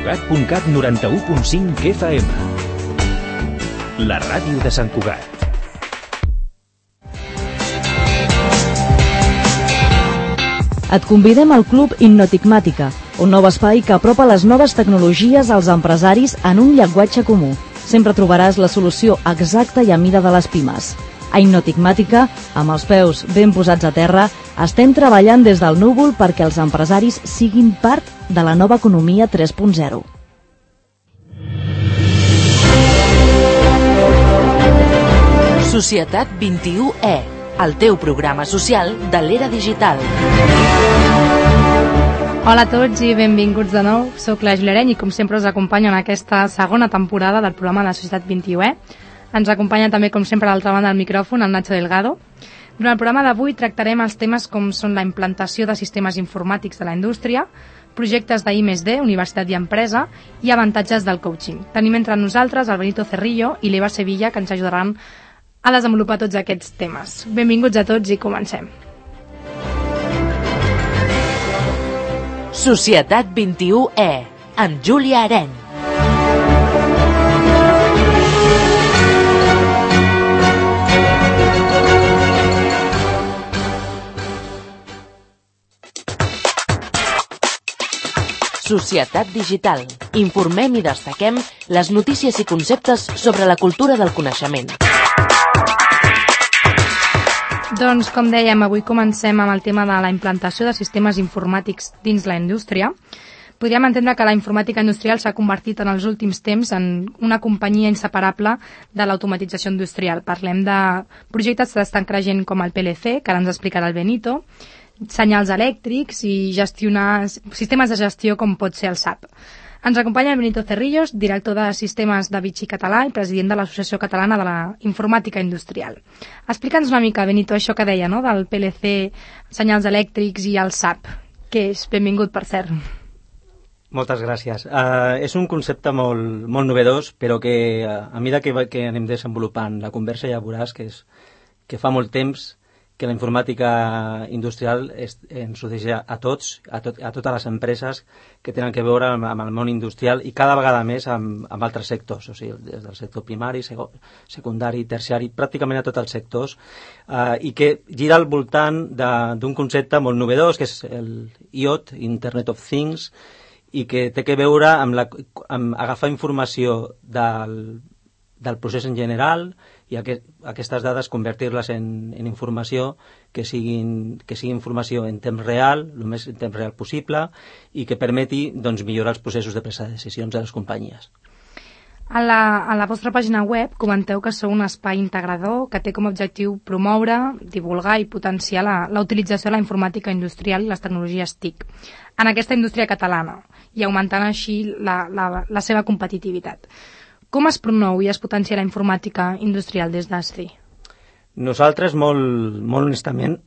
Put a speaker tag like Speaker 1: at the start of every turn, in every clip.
Speaker 1: Cugat 91.5 FM. La ràdio de Sant Cugat.
Speaker 2: Et convidem al Club Innotigmàtica, un nou espai que apropa les noves tecnologies als empresaris en un llenguatge comú. Sempre trobaràs la solució exacta i a mida de les pimes. A Innotigmàtica, amb els peus ben posats a terra, estem treballant des del núvol perquè els empresaris siguin part de la nova economia 3.0.
Speaker 3: Societat 21E, el teu programa social de l'era digital.
Speaker 4: Hola a tots i benvinguts de nou. Soc la Júlia Areny i com sempre us acompanyo en aquesta segona temporada del programa de la Societat 21E. Ens acompanya també, com sempre, a l'altra banda del micròfon, el Nacho Delgado. Durant el programa d'avui tractarem els temes com són la implantació de sistemes informàtics de la indústria, projectes d'I+D, Universitat i Empresa, i avantatges del coaching. Tenim entre nosaltres el Benito Cerrillo i l'Eva Sevilla, que ens ajudaran a desenvolupar tots aquests temes. Benvinguts a tots i comencem.
Speaker 3: Societat 21E, amb Júlia Areny. Societat digital. Informem i destaquem les notícies i conceptes sobre la cultura del coneixement.
Speaker 4: Doncs, com dèiem, avui comencem amb el tema de la implantació de sistemes informàtics dins la indústria. Podríem entendre que la informàtica industrial s'ha convertit en els últims temps en una companyia inseparable de l'automatització industrial. Parlem de projectes que estan creixent com el PLC, que ara ens explicarà el Benito, senyals elèctrics i gestionar sistemes de gestió com pot ser el SAP. Ens acompanya el Benito Cerrillos, director de sistemes de Vichy Català i president de l'Associació Catalana de la Informàtica Industrial. Explica'ns una mica, Benito, això que deia, no?, del PLC, senyals elèctrics i el SAP. Què és? Benvingut, per cert.
Speaker 5: Moltes gràcies. És un concepte molt novedós, però que a mesura que anem desenvolupant la conversa ja veuràs que fa molt temps que la informàtica industrial ens ho deixa a tots, a totes les empreses que tenen que veure amb el món industrial i cada vegada més amb altres sectors, o sigui, des del sector primari, secundari, terciari, pràcticament a tots els sectors, i que gira al voltant d'un concepte molt novedós, que és el IoT, Internet of Things, i que té que veure amb agafar informació del procés en general i aquestes dades convertir-les en informació que sigui informació en temps real, el més en temps real possible, i que permeti millorar els processos de presa de decisions de les companyies.
Speaker 4: A la vostra pàgina web comenteu que sou un espai integrador que té com a objectiu promoure, divulgar i potenciar la utilització de la informàtica industrial i les tecnologies TIC en aquesta indústria catalana i augmentant així la seva competitivitat. Com es promou i es potencia la informàtica industrial des d'ASCI?
Speaker 5: Nosaltres, molt honestament,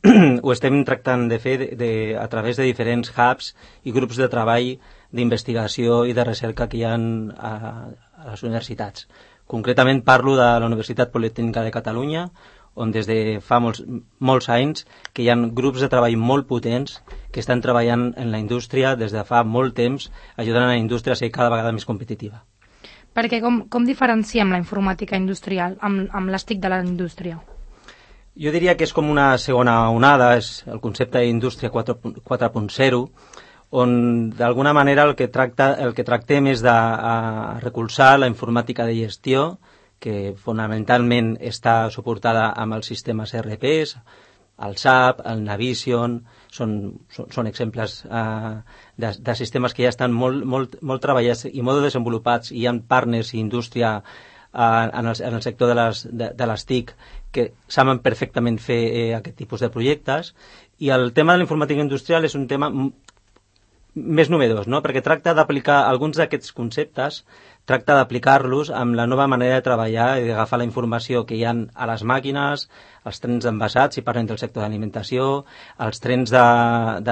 Speaker 5: ho estem tractant de fer a través de diferents hubs i grups de treball d'investigació i de recerca que hi ha a les universitats. Concretament parlo de la Universitat Politècnica de Catalunya, on des de fa molts anys que hi ha grups de treball molt potents que estan treballant en la indústria des de fa molt temps, ajudant a la indústria a ser cada vegada més competitiva.
Speaker 4: Perquè com diferenciem la informàtica industrial amb les TIC de la indústria?
Speaker 5: Jo diria que és com una segona onada, és el concepte d'indústria 4.0, on d'alguna manera el que tractem és de recolzar la informàtica de gestió, que fonamentalment està suportada amb els sistemes ERPs, el SAP, el Navision, són exemples de sistemes que ja estan molt treballats i molt desenvolupats, i hi ha partners i indústria en el sector de les TIC que saben perfectament fer aquest tipus de projectes, i el tema de la informàtica industrial és un tema més novedós, no?, perquè tracta d'aplicar alguns d'aquests conceptes, tracta d'aplicar-los amb la nova manera de treballar i d'agafar la informació que hi ha a les màquines, els trens envasats, si parlem del sector d'alimentació, els trens del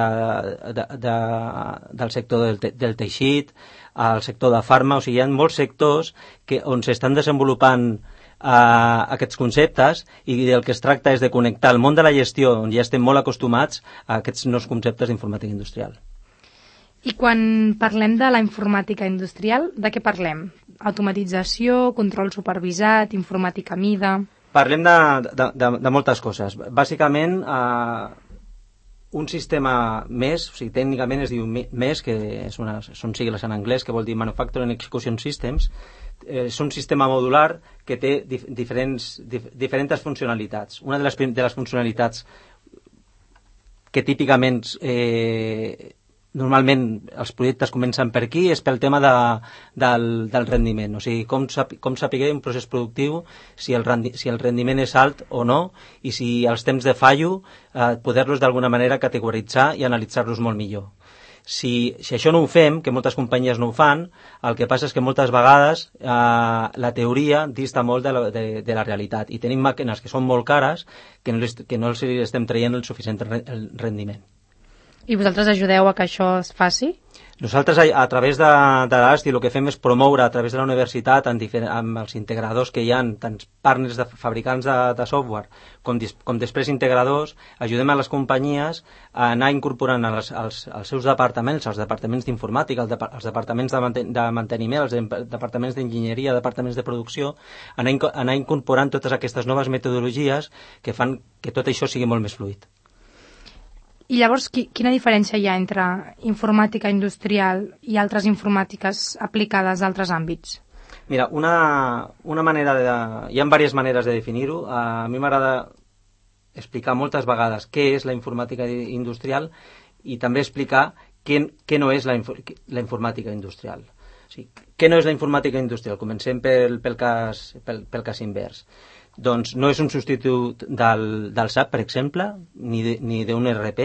Speaker 5: sector del teixit, el sector de farma, o sigui, hi ha molts sectors on s'estan desenvolupant aquests conceptes, i del que es tracta és de connectar el món de la gestió, on ja estem molt acostumats, a aquests nous conceptes d'informàtica industrial.
Speaker 4: I quan parlem de la informàtica industrial, de què parlem? Automatització, control supervisat, informàtica a mida...
Speaker 5: Parlem de moltes coses. Bàsicament, un sistema MES, o sigui, tècnicament es diu MES, que són sigles en anglès, que vol dir Manufacturing Execution Systems, és un sistema modular que té diferents funcionalitats. Una de les funcionalitats que típicament normalment els projectes comencen per aquí és pel tema del rendiment, o sigui, com saber un procés productiu si el rendiment és alt o no, i si els temps de fallo poder-los d'alguna manera categoritzar i analitzar-los molt millor. Si això no ho fem, que moltes companyies no ho fan, el que passa és que moltes vegades la teoria dista molt de la realitat, i tenim màquines que són molt cares que no els estem traient el suficient rendiment.
Speaker 4: I vosaltres ajudeu a que això es faci?
Speaker 5: Nosaltres, a través de l'ASTI, el que fem és promoure a través de la universitat amb els integradors que hi ha, tant partners de fabricants de software com després integradors, ajudem a les companyies a anar incorporant als seus departaments, als departaments d'informàtica, als departaments de manteniment, als departaments d'enginyeria, departaments de producció, anar incorporant totes aquestes noves metodologies que fan que tot això sigui molt més fluid.
Speaker 4: I llavors, quina diferència hi ha entre informàtica industrial i altres informàtiques aplicades a altres àmbits?
Speaker 5: Mira, una manera hi ha diverses maneres de definir-ho. A mi m'agrada explicar moltes vegades què és la informàtica industrial i també explicar què no és la informàtica industrial. O sigui, què no és la informàtica industrial? Comencem pel cas invers. Doncs no és un substitut del SAP, per exemple, ni d'un ERP.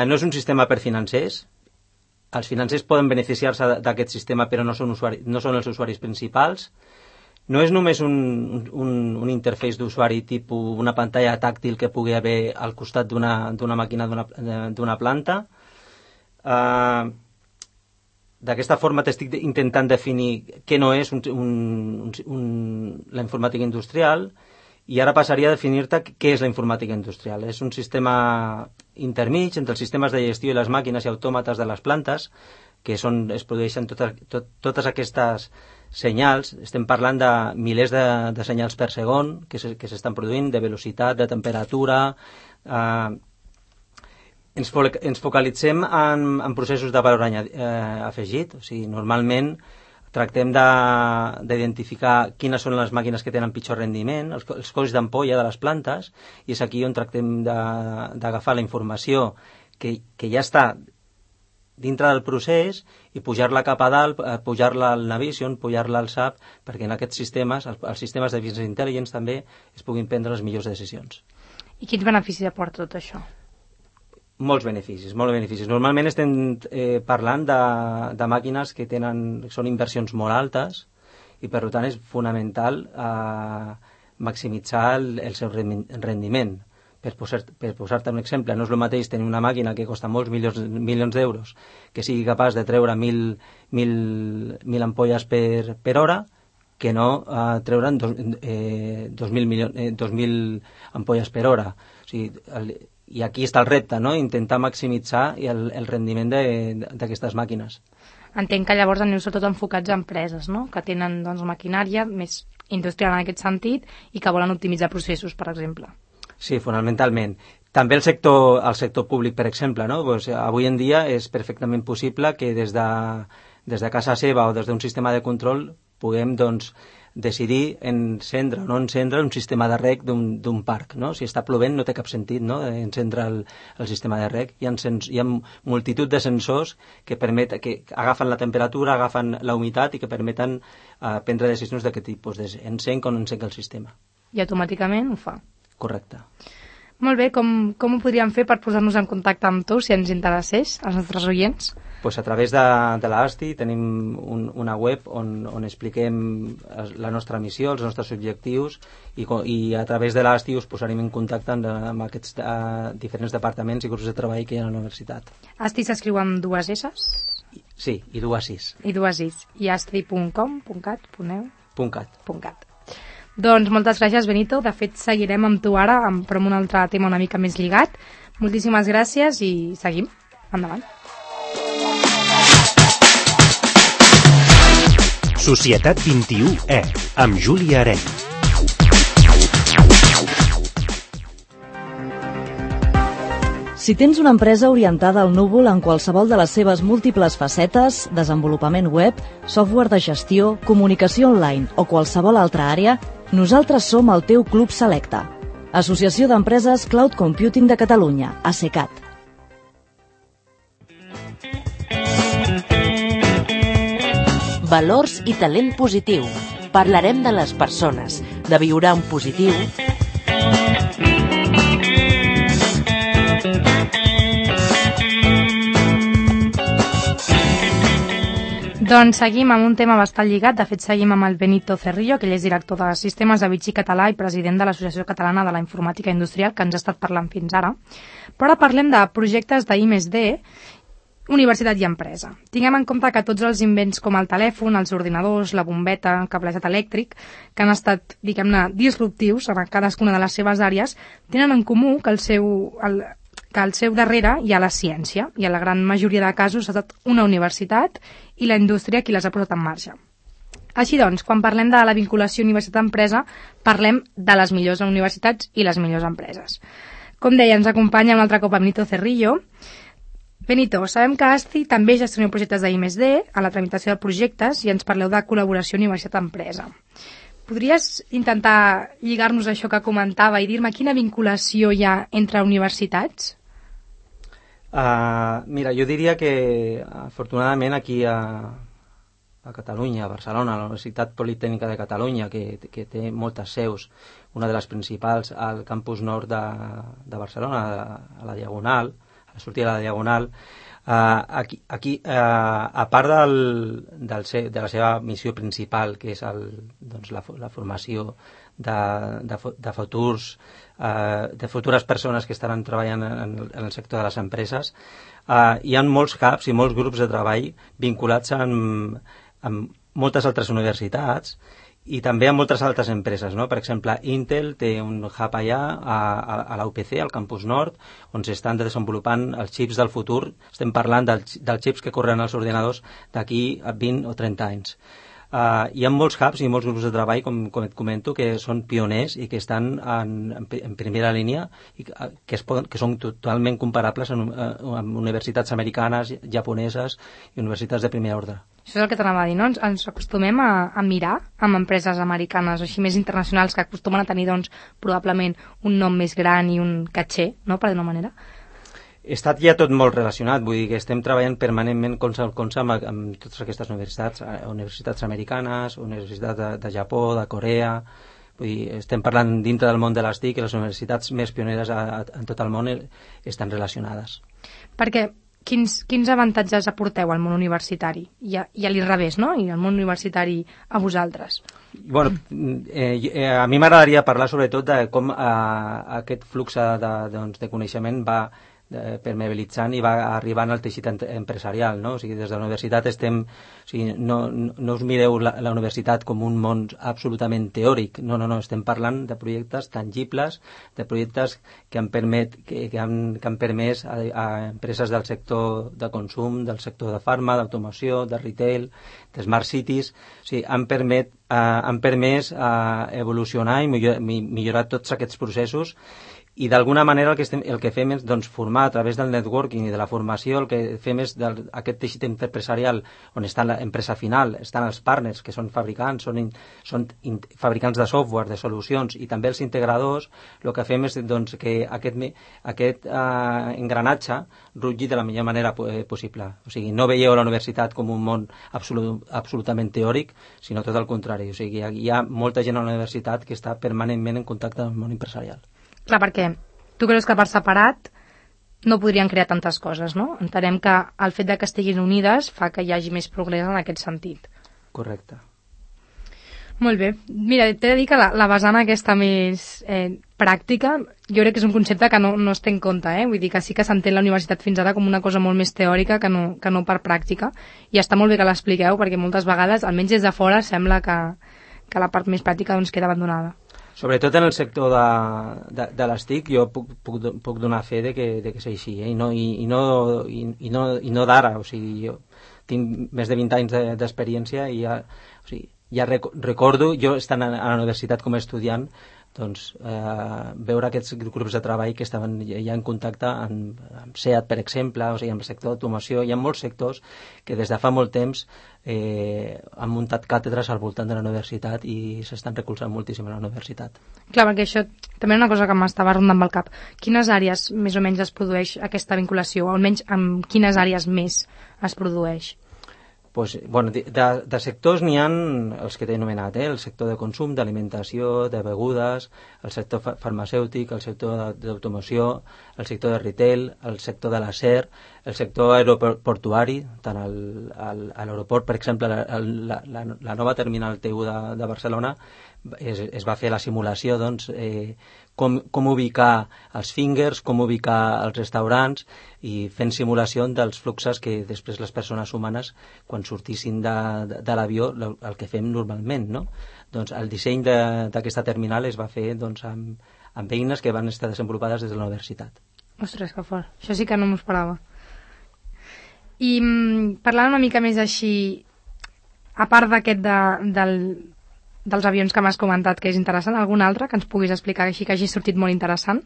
Speaker 5: No és un sistema per financers. Els financers poden beneficiar-se d'aquest sistema, però no són els usuaris principals. No és només un interface d'usuari tipus una pantalla tàctil que pugui haver al costat d'una màquina d'una planta. D'aquesta forma t'estic intentant definir què no és la informàtica industrial, i ara passaria a definir-te què és la informàtica industrial. És un sistema intermig entre els sistemes de gestió i les màquines i autòmates de les plantes, que es produeixen totes aquestes senyals. Estem parlant de milers de senyals per segon que s'estan produint, de velocitat, de temperatura... Ens focalitzem en processos de valor afegit, o sigui, normalment tractem d'identificar quines són les màquines que tenen pitjor rendiment, els colls d'ampolla de les plantes, i és aquí on tractem d'agafar la informació que ja està dintre del procés i pujar-la cap a dalt, pujar-la al Navision, pujar-la al SAP, perquè en aquests sistemes, els sistemes de business intelligence també, es puguin prendre les millors decisions.
Speaker 4: I quins beneficis aporta tot això?
Speaker 5: Molts beneficis. Normalment estem parlant de màquines que són inversions molt altes, i per tant és fonamental maximitzar el seu rendiment. Per posar-te un exemple, no és el mateix tenir una màquina que costa molts milions d'euros que sigui capaç de treure 1.000 ampolles per hora que no treure'n 2.000 ampolles per hora. O sigui, i aquí està el repte, no? Intentar maximitzar el rendiment d'aquestes màquines.
Speaker 4: Entenc que llavors aneu sobretot enfocats a empreses, no? Que tenen maquinària més industrial en aquest sentit i que volen optimitzar processos, per exemple.
Speaker 5: Sí, fonamentalment. També el sector públic, per exemple, no? Pues, avui en dia és perfectament possible que des de casa seva o des d'un sistema de control puguem decidir encendre o no encendre un sistema de reg d'un parc, no? Si està plovent no té cap sentit, no?, encendre el sistema de reg. Hi ha multitud de sensors que agafen la temperatura, agafen la humitat i que permeten prendre decisions d'aquest tipus, encenc o no encenc el sistema.
Speaker 4: I automàticament ho fa.
Speaker 5: Correcte.
Speaker 4: Molt bé, com ho podríem fer per posar-nos en contacte amb tu, si ens interessés, als nostres oients?
Speaker 5: Pues a través de l'ASTI tenim una web on expliquem la nostra missió, els nostres objectius, i a través de l'ASTI us posarem en contacte amb aquests diferents departaments i grups de treball que hi ha a la universitat.
Speaker 4: ASTI s'escriu amb 2 S's?
Speaker 5: Sí, i 2 I's.
Speaker 4: I 2 I's. I asti.com, .cat,
Speaker 5: .cat.
Speaker 4: Doncs moltes gràcies, Benito. De fet, seguirem amb tu ara, però amb un altre tema una mica més lligat. Moltíssimes gràcies i seguim. Endavant.
Speaker 1: Societat 21E, amb Júlia Arenys.
Speaker 2: Si tens una empresa orientada al núvol en qualsevol de les seves múltiples facetes, desenvolupament web, software de gestió, comunicació online o qualsevol altra àrea, nosaltres som el teu club selecte. Associació d'Empreses Cloud Computing de Catalunya, ACECAT.
Speaker 3: Valors i talent positiu. Parlarem de les persones, de viure en positiu.
Speaker 4: Doncs seguim amb un tema bastant lligat. De fet, seguim amb el Benito Cerrillo, que ell és director de Sistemes de Vichy Català i president de l'Associació Catalana de la Informàtica Industrial, que ens ha estat parlant fins ara. Però ara parlem de projectes d'I+D, universitat i empresa. Tinguem en compte que tots els invents com el telèfon, els ordinadors, la bombeta, el cablejat elèctric, que han estat, diguem-ne, disruptius en cadascuna de les seves àrees, tenen en comú que al seu darrere hi ha la ciència, i a la gran majoria de casos ha estat una universitat i la indústria qui les ha posat en marxa. Així doncs, quan parlem de la vinculació universitat-empresa, parlem de les millors universitats i les millors empreses. Com deia, ens acompanya un altre cop Benito Cerrillo. Benito, sabem que ASCI també gestiona projectes d'I+D a la tramitació de projectes i ens parleu de col·laboració universitat-empresa. Podries intentar lligar-nos això que comentava i dir-me quina vinculació hi ha entre universitats?
Speaker 5: Mira, jo diria que afortunadament aquí a Catalunya, a Barcelona, a la Universitat Politècnica de Catalunya, que té moltes seus, una de les principals al campus nord de Barcelona, a la Diagonal, a la sortida de la Diagonal, aquí a part de la seva missió principal, que és la formació de futures persones que estaran treballant en el sector de les empreses, hi ha molts hubs i molts grups de treball vinculats amb moltes altres universitats i també amb moltes altres empreses, no? Per exemple, Intel té un hub allà a la UPC, al campus nord, on s'estan desenvolupant els xips del futur. Estem parlant dels xips que corren als ordinadors d'aquí a 20 o 30 anys. Hi ha molts hubs i molts grups de treball, com et comento, que són pioners i que estan en primera línia i que són totalment comparables amb universitats americanes, japoneses i universitats de primer ordre.
Speaker 4: Això és el que t'anava a dir, no? Ens acostumem a mirar amb empreses americanes o així més internacionals que acostumen a tenir, doncs, probablement un nom més gran i un caché, no?, per dir-ho manera.
Speaker 5: Està ja tot molt relacionat, vull dir que estem treballant permanentment colze amb totes aquestes universitats americanes, universitats de Japó, de Corea. Vull dir, estem parlant dintre del món de les TIC i les universitats més pioneres en tot el món estan relacionades.
Speaker 4: Perquè quins avantatges aporteu al món universitari? I a l'inrevés, no? I al món universitari a vosaltres?
Speaker 5: Bueno, a mi m'agradaria parlar sobretot de com aquest flux de coneixement va permeabilitzant i va arribant al teixit empresarial, no? O sigui, des de la universitat no us mireu la universitat com un món absolutament teòric, no, estem parlant de projectes tangibles, de projectes que han permès a empreses del sector de consum, del sector de farma, d'automoció, de retail, de smart cities, o sigui, han permès evolucionar i millorar tots aquests processos. I d'alguna manera el que fem és formar a través del networking i de la formació, el que fem és aquest teixit empresarial on està l'empresa final, estan els partners que són fabricants, són fabricants de software, de solucions i també els integradors. El que fem és que aquest engranatge rutlli de la millor manera possible. O sigui, no veieu la universitat com un món absolutament teòric, sinó tot el contrari. O sigui, hi ha molta gent a la universitat que està permanentment en contacte amb el món empresarial.
Speaker 4: Clar, perquè tu creus que per separat no podrien crear tantes coses, no? Entenem que el fet de que estiguin unides fa que hi hagi més progrés en aquest sentit.
Speaker 5: Correcte.
Speaker 4: Molt bé. Mira, t'he de dir que la vessant aquesta més pràctica, jo crec que és un concepte que no es té en compte, Vull dir que sí que s'entén la universitat fins ara com una cosa molt més teòrica que no per pràctica, i està molt bé que l'expliqueu, perquè moltes vegades, almenys des de fora, sembla que la part més pràctica queda abandonada.
Speaker 5: Sobretot en el sector de les TIC, jo puc donar fe de que és així, i no d'ara, o sigui, tinc més de 20 anys d'experiència i ja recordo, jo estant a la universitat com a estudiant, doncs, veure aquests grups de treball que estaven ja en contacte amb SEAT, per exemple, o sigui, amb el sector d'automoció. Hi ha molts sectors que des de fa molt temps han muntat càtedres al voltant de la universitat i s'estan recolzant moltíssim a la universitat.
Speaker 4: Clar, perquè això també és una cosa que m'estava rondant pel cap. Quines àrees més o menys es produeix aquesta vinculació? O almenys en quines àrees més es produeix?
Speaker 5: Pues, bueno, de sectors n'hi ha els que t'he anomenat, el sector de consum, d'alimentació, de begudes, el sector farmacèutic, el sector d'automoció, el sector de retail, el sector de l'acer, el sector aeroportuari, tant a l'aeroport, per exemple, la nova terminal T1 de Barcelona, es va fer la simulació, doncs, com ubicar els fingers, com ubicar els restaurants i fent simulació dels fluxos que després les persones humanes, quan sortissin de l'avió, el que fem normalment, no? Doncs el disseny d'aquesta terminal es va fer, doncs, amb eines que van estar desenvolupades des de la universitat.
Speaker 4: Ostres, que fort. Això sí que no m'ho esperava. I parlant una mica més així, a part d'aquest dels avions que m'has comentat que és interessant, algun altre que ens puguis explicar així que hagi sortit molt interessant?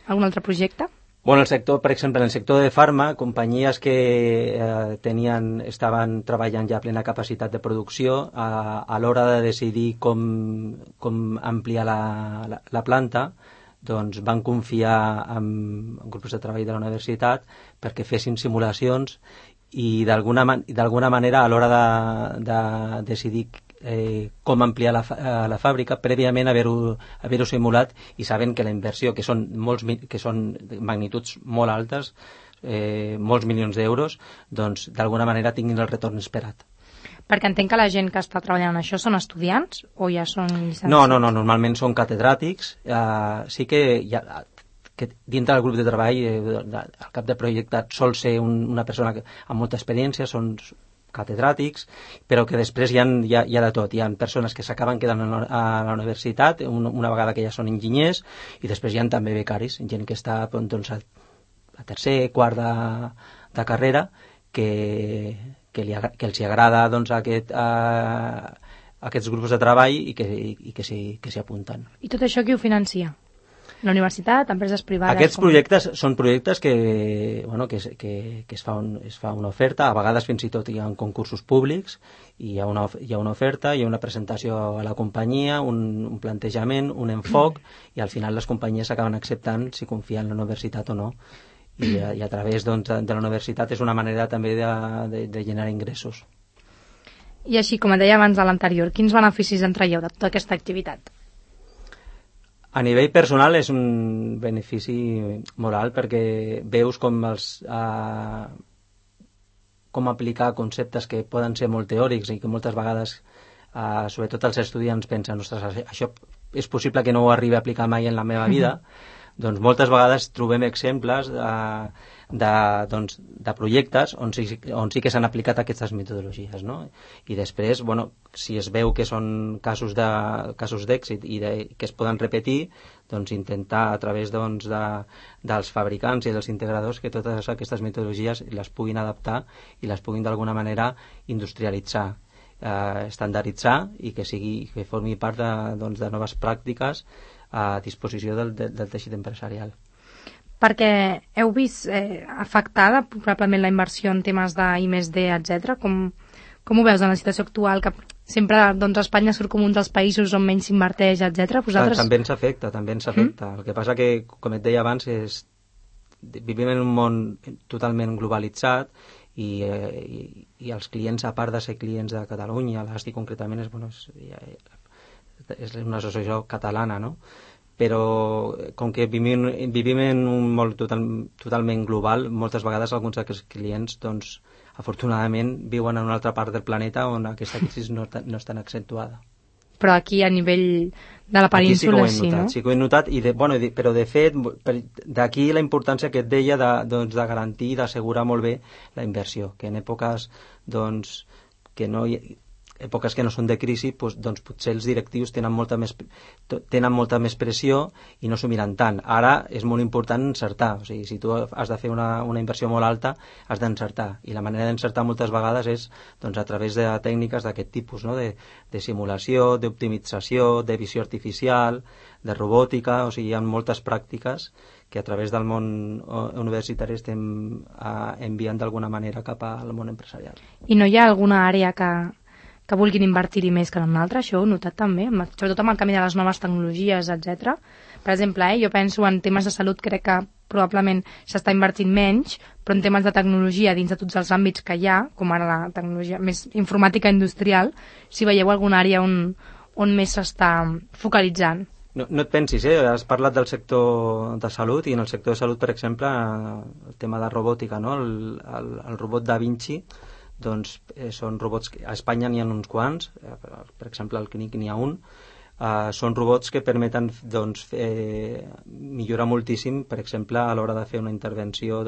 Speaker 4: Algun altre projecte?
Speaker 5: Bueno, el sector, per exemple, en el sector de farma, companyies que estaven treballant ja a plena capacitat de producció, a l'hora de decidir com ampliar la planta, doncs van confiar en grups de treball de la universitat perquè fessin simulacions i d'alguna manera a l'hora de decidir com ampliar la fàbrica, prèviament haver-ho simulat i sabent que la inversió, que són magnituds molt altes, molts milions d'euros, doncs d'alguna manera tinguin el retorn esperat.
Speaker 4: Perquè entenc que la gent que està treballant en això són estudiants o ja són llicenciats?
Speaker 5: No, normalment són catedràtics. Sí que dintre del grup de treball, el cap de projecte sol ser una persona amb molta experiència, són catedràtics, però que després hi ha de tot. Hi ha persones que s'acaben quedant a la universitat una vegada que ja són enginyers i després hi ha també becaris, gent que està doncs, a tercer, quart de carrera, que els agrada doncs, aquests grups de treball i que s'hi apunten.
Speaker 4: I tot això qui ho financia? La universitat, empreses privades?
Speaker 5: Aquests projectes són projectes que es fa una oferta, a vegades fins i tot hi ha concursos públics, i hi ha una oferta, hi ha una presentació a la companyia, un plantejament, un enfoc, i al final les companyies acaben acceptant si confien en la universitat o no. I a través doncs, de la universitat és una manera també de generar ingressos.
Speaker 4: I així, com et deia abans de l'anterior, quins beneficis en traieu de tota aquesta activitat?
Speaker 5: A nivell personal és un benefici molt alt perquè veus com aplicar conceptes que poden ser molt teòrics i que moltes vegades, sobretot els estudiants, pensen, ostres, això és possible que no ho arribi a aplicar mai en la meva vida. Doncs moltes vegades trobem exemples de projectes on sí que s'han aplicat aquestes metodologies, no? I després, si es veu que són casos d'èxit i que es poden repetir, doncs intentar a través dels fabricants i dels integradors que totes aquestes metodologies les puguin adaptar i les puguin d'alguna manera industrialitzar, estandarditzar i que formi part de noves pràctiques a disposició del teixit empresarial.
Speaker 4: Perquè heu vist afectada probablement la inversió en temes d'I+D, etc. Com ho veus en la situació actual, que sempre doncs, Espanya surt com un dels països on menys s'inverteix, etc. Vosaltres...
Speaker 5: També ens afecta. El que passa que, com et deia abans, vivim en un món totalment globalitzat i els clients, a part de ser clients de Catalunya, l'ASTI concretament és una associació catalana, no? Però com que vivim en un món totalment global, moltes vegades alguns d'aquests clients, doncs, afortunadament, viuen en una altra part del planeta on aquesta crisi no és tan accentuada.
Speaker 4: Però aquí, a nivell de la península,
Speaker 5: sí, no? Sí que ho he notat, però de fet, d'aquí la importància que et deia de garantir i d'assegurar molt bé la inversió, que en èpoques doncs, que no èpoques que no són de crisi, doncs potser els directius tenen molta més pressió i no s'ho miren tant. Ara és molt important encertar, o sigui, si tu has de fer una inversió molt alta, has d'encertar, i la manera d'encertar moltes vegades és doncs, a través de tècniques d'aquest tipus, no? de simulació, d'optimització, de visió artificial, de robòtica, o sigui, hi ha moltes pràctiques que a través del món universitari estem enviant d'alguna manera cap al món empresarial.
Speaker 4: I no hi ha alguna àrea que vulguin invertir-hi més que en una altra? Això ho he notat també, sobretot amb el canvi de les noves tecnologies, etc. Per exemple, jo penso en temes de salut, crec que probablement s'està invertint menys, però en temes de tecnologia dins de tots els àmbits que hi ha, com ara la tecnologia més informàtica industrial, si veieu alguna àrea on més s'està focalitzant.
Speaker 5: No et pensis, has parlat del sector de salut, i en el sector de salut, per exemple, el tema de robòtica, no? El robot Da Vinci, doncs són robots que a Espanya n'hi ha uns quants, per exemple al CNIC n'hi ha un, són robots que permeten doncs, millorar moltíssim, per exemple, a l'hora de fer una intervenció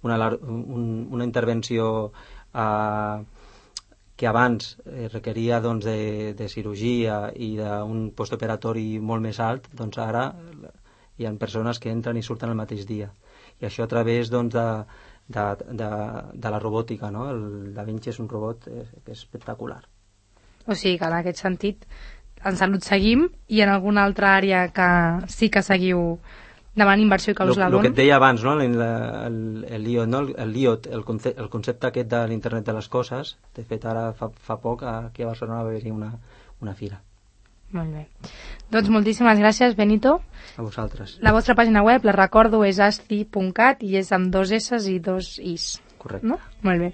Speaker 5: una intervenció que abans requeria doncs, de cirurgia i d'un postoperatori molt més alt, doncs ara hi ha persones que entren i surten el mateix dia. I això a través doncs, de la robòtica, no? El Da Vinci és un robot que és espectacular.
Speaker 4: O sigui que en aquest sentit en salut seguim, i en alguna altra àrea que sí que seguiu davant inversió i que us la donen?
Speaker 5: El que et deia abans, no? El IoT, no? El concepte aquest de l'internet de les coses. De fet, ara fa poc aquí a Barcelona va haver-hi una fira.
Speaker 4: Molt bé. Doncs moltíssimes gràcies, Benito.
Speaker 5: A vosaltres.
Speaker 4: La vostra pàgina web, la recordo, és asti.cat i és amb 2 S i 2 Is.
Speaker 5: Correcte.
Speaker 4: No? Molt bé.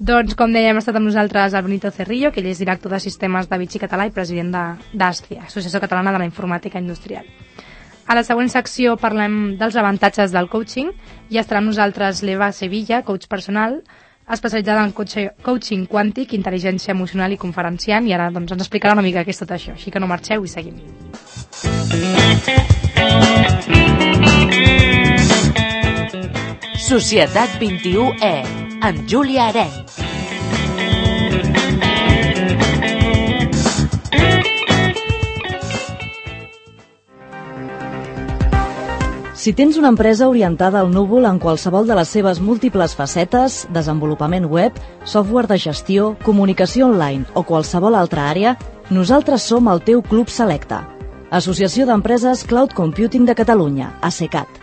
Speaker 4: Doncs, com dèiem, ha estat amb nosaltres el Benito Cerrillo, que ell és director de sistemes de Vichy Català i president d'ASTI, Associació Catalana de la Informàtica Industrial. A la següent secció parlem dels avantatges del coaching i estarà amb nosaltres l'Eva Sevilla, coach personal, especialitzada en coaching quàntic, intel·ligència emocional i conferenciant, i ara doncs, ens explicarà una mica què és tot això. Així que no marxeu i seguim.
Speaker 3: Societat 21E, amb Júlia Arenc.
Speaker 2: Si tens una empresa orientada al núvol en qualsevol de les seves múltiples facetes, desenvolupament web, software de gestió, comunicació online o qualsevol altra àrea, nosaltres som el teu club selecte. Associació d'Empreses Cloud Computing de Catalunya, ACECAT.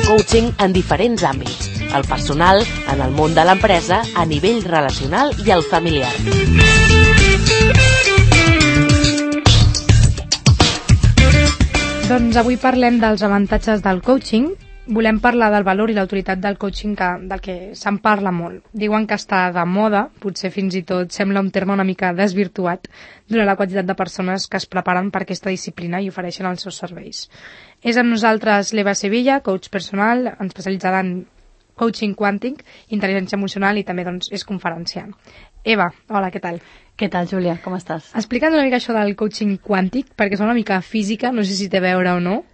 Speaker 3: Coaching en diferents àmbits. El personal, en el món de l'empresa, a nivell relacional i el familiar.
Speaker 4: Doncs avui parlem dels avantatges del coaching. Volem parlar del valor i l'autoritat del coaching del que se'n parla molt. Diuen que està de moda, potser fins i tot sembla un terme una mica desvirtuat, donant la quantitat de persones que es preparen per aquesta disciplina i ofereixen els seus serveis. És amb nosaltres l'Eva Sevilla, coach personal, especialitzada en coaching quàntic, intel·ligència emocional i també doncs, és conferenciant. Eva, hola, què tal?
Speaker 6: Què tal, Júlia? Com estàs?
Speaker 4: Explica'ns una mica això del coaching quàntic, perquè és una mica física, no sé si té a veure o no.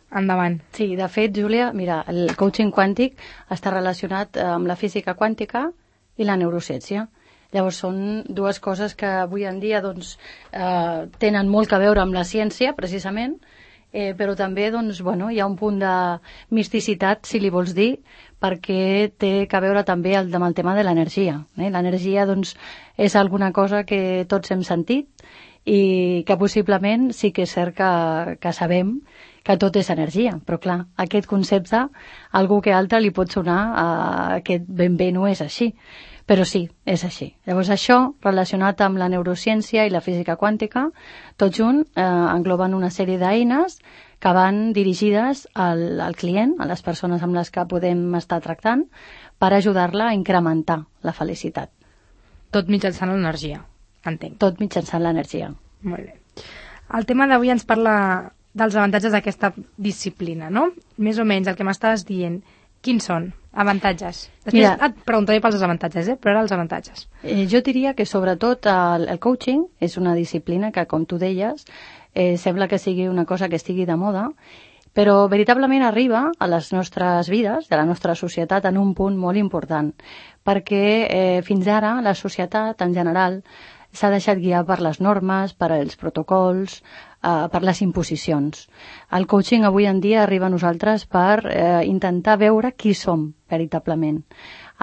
Speaker 4: Endavant.
Speaker 6: Sí, de fet, Júlia, mira, el coaching quàntic està relacionat amb la física quàntica i la neurociència. Llavors són dues coses que avui en dia doncs, tenen molt a veure amb la ciència, precisament, però també doncs, bueno, hi ha un punt de misticitat, si li vols dir, perquè té a veure també amb el tema de l'energia. L'energia doncs, és alguna cosa que tots hem sentit i que possiblement sí que és cert que sabem que tot és energia, però clar, aquest concepte, algú que altre li pot sonar que ben bé no és així, però sí, és així. Llavors això, relacionat amb la neurociència i la física quàntica, tot junt engloben una sèrie d'eines que van dirigides al client, a les persones amb les que podem estar tractant, per ajudar-la a incrementar la felicitat.
Speaker 4: Tot mitjançant l'energia, entenc.
Speaker 6: Tot mitjançant l'energia.
Speaker 4: Molt bé. El tema d'avui ens parla dels avantatges d'aquesta disciplina, no? Més o menys el que m'estaves dient. Quins són? Avantatges. Després et preguntaré pels desavantatges, però ara els avantatges.
Speaker 6: Jo diria que sobretot el coaching és una disciplina que, com tu deies, sembla que sigui una cosa que estigui de moda, però veritablement arriba a les nostres vides, a la nostra societat, en un punt molt important, perquè fins ara la societat en general s'ha deixat guiar per les normes, per els protocols, per les imposicions. El coaching avui en dia arriba a nosaltres per intentar veure qui som veritablement.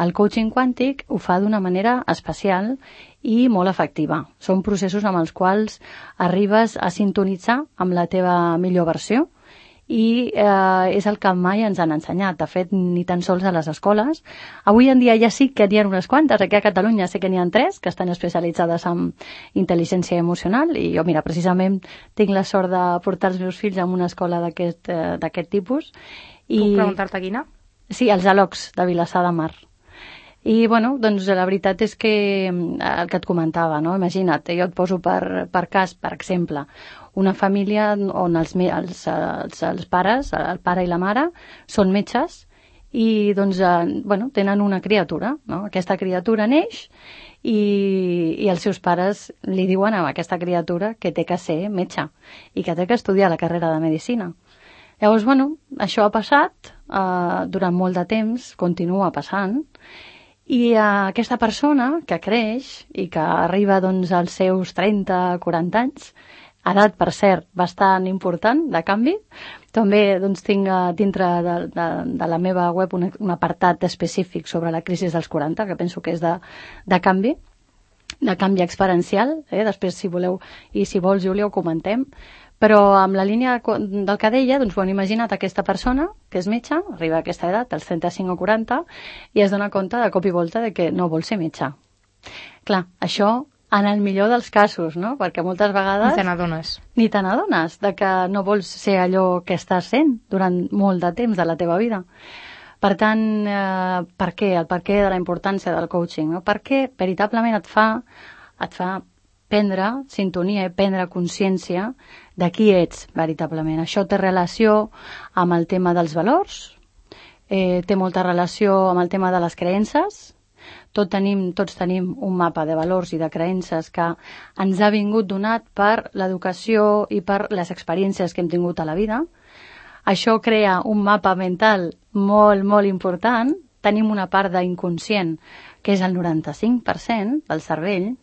Speaker 6: El coaching quàntic ho fa d'una manera especial i molt efectiva. Són processos amb els quals arribes a sintonitzar amb la teva millor versió i és el que mai ens han ensenyat. De fet, ni tan sols a les escoles. Avui en dia ja sí que n'hi ha unes quantes. Aquí a Catalunya sé que n'hi ha 3 que estan especialitzades en intel·ligència emocional i jo, mira, precisament tinc la sort de portar els meus fills a una escola d'aquest tipus.
Speaker 4: Puc preguntar-te quina?
Speaker 6: Sí, els ALOCs de Vilassar de Mar. I, bueno, doncs la veritat és que el que et comentava, no? Imagina't, jo et poso per cas, per exemple, una família on els pares, el pare i la mare, són metges i, doncs, bueno, tenen una criatura, no? Aquesta criatura neix i els seus pares li diuen a aquesta criatura que té que ser metge i que té que estudiar la carrera de medicina. Llavors, bueno, això ha passat durant molt de temps, continua passant, i aquesta persona que creix i que arriba doncs, als seus 30-40 anys, edat, per cert, bastant important de canvi, també doncs, tinc dintre de la meva web un apartat específic sobre la crisi dels 40, que penso que és de canvi experiencial. Després, si voleu i si vols, Júlia, ho comentem. Però amb la línia del que deia, doncs, bueno, imagina't aquesta persona que és metge, arriba a aquesta edat, als 35 o 40, i es dona compte de cop i volta de que no vol ser metge. Clar, això en el millor dels casos, no? Perquè moltes vegades... Ni te n'adones de que no vols ser allò que estàs sent durant molt de temps de la teva vida. Per tant, per què? El per què de la importància del coaching, no? Perquè veritablement et fa prendre sintonia i prendre consciència de qui ets veritablement. Això té relació amb el tema dels valors, té molta relació amb el tema de les creences. Tots tenim un mapa de valors i de creences que ens ha vingut donat per l'educació i per les experiències que hem tingut a la vida. Això crea un mapa mental molt, molt important. Tenim una part d'inconscient, que és el 95% del cervell,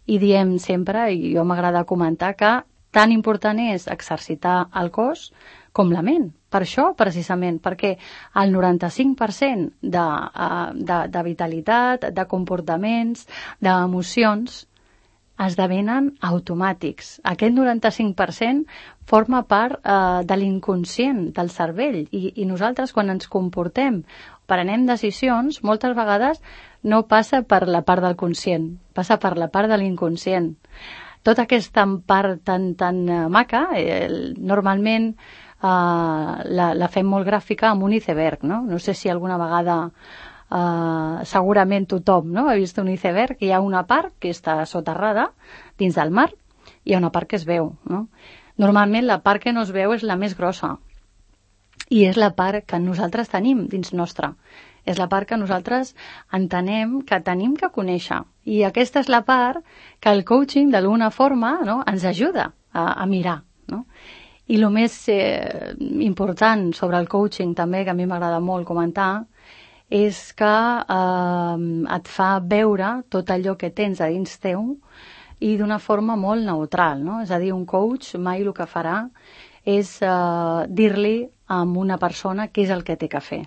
Speaker 6: i diem sempre, i jo m'agrada comentar, que tan important és exercitar el cos com la ment. Per això, precisament, perquè el 95% de vitalitat, de comportaments, d'emocions, esdevenen automàtics. Aquest 95% forma part de l'inconscient del cervell i nosaltres, quan ens comportem, prenem decisions, moltes vegades no passa per la part del conscient, passa per la part de l'inconscient. Tota aquesta part tan maca, normalment la fem molt gràfica amb un iceberg, no? No sé si alguna vegada segurament tothom, no? Ha vist un iceberg, hi ha una part que està soterrada dins del mar, hi ha una part que es veu, no? Normalment la part que no es veu és la més grossa i és la part que nosaltres tenim dins nostra. És la part que nosaltres entenem que tenim que conèixer. I aquesta és la part que el coaching, d'alguna forma, no, ens ajuda a mirar, no? I el més important sobre el coaching, també, que a mi m'agrada molt comentar, és que et fa veure tot allò que tens a dins teu i d'una forma molt neutral, no? És a dir, un coach mai el que farà és dir-li a una persona què és el que té que fer.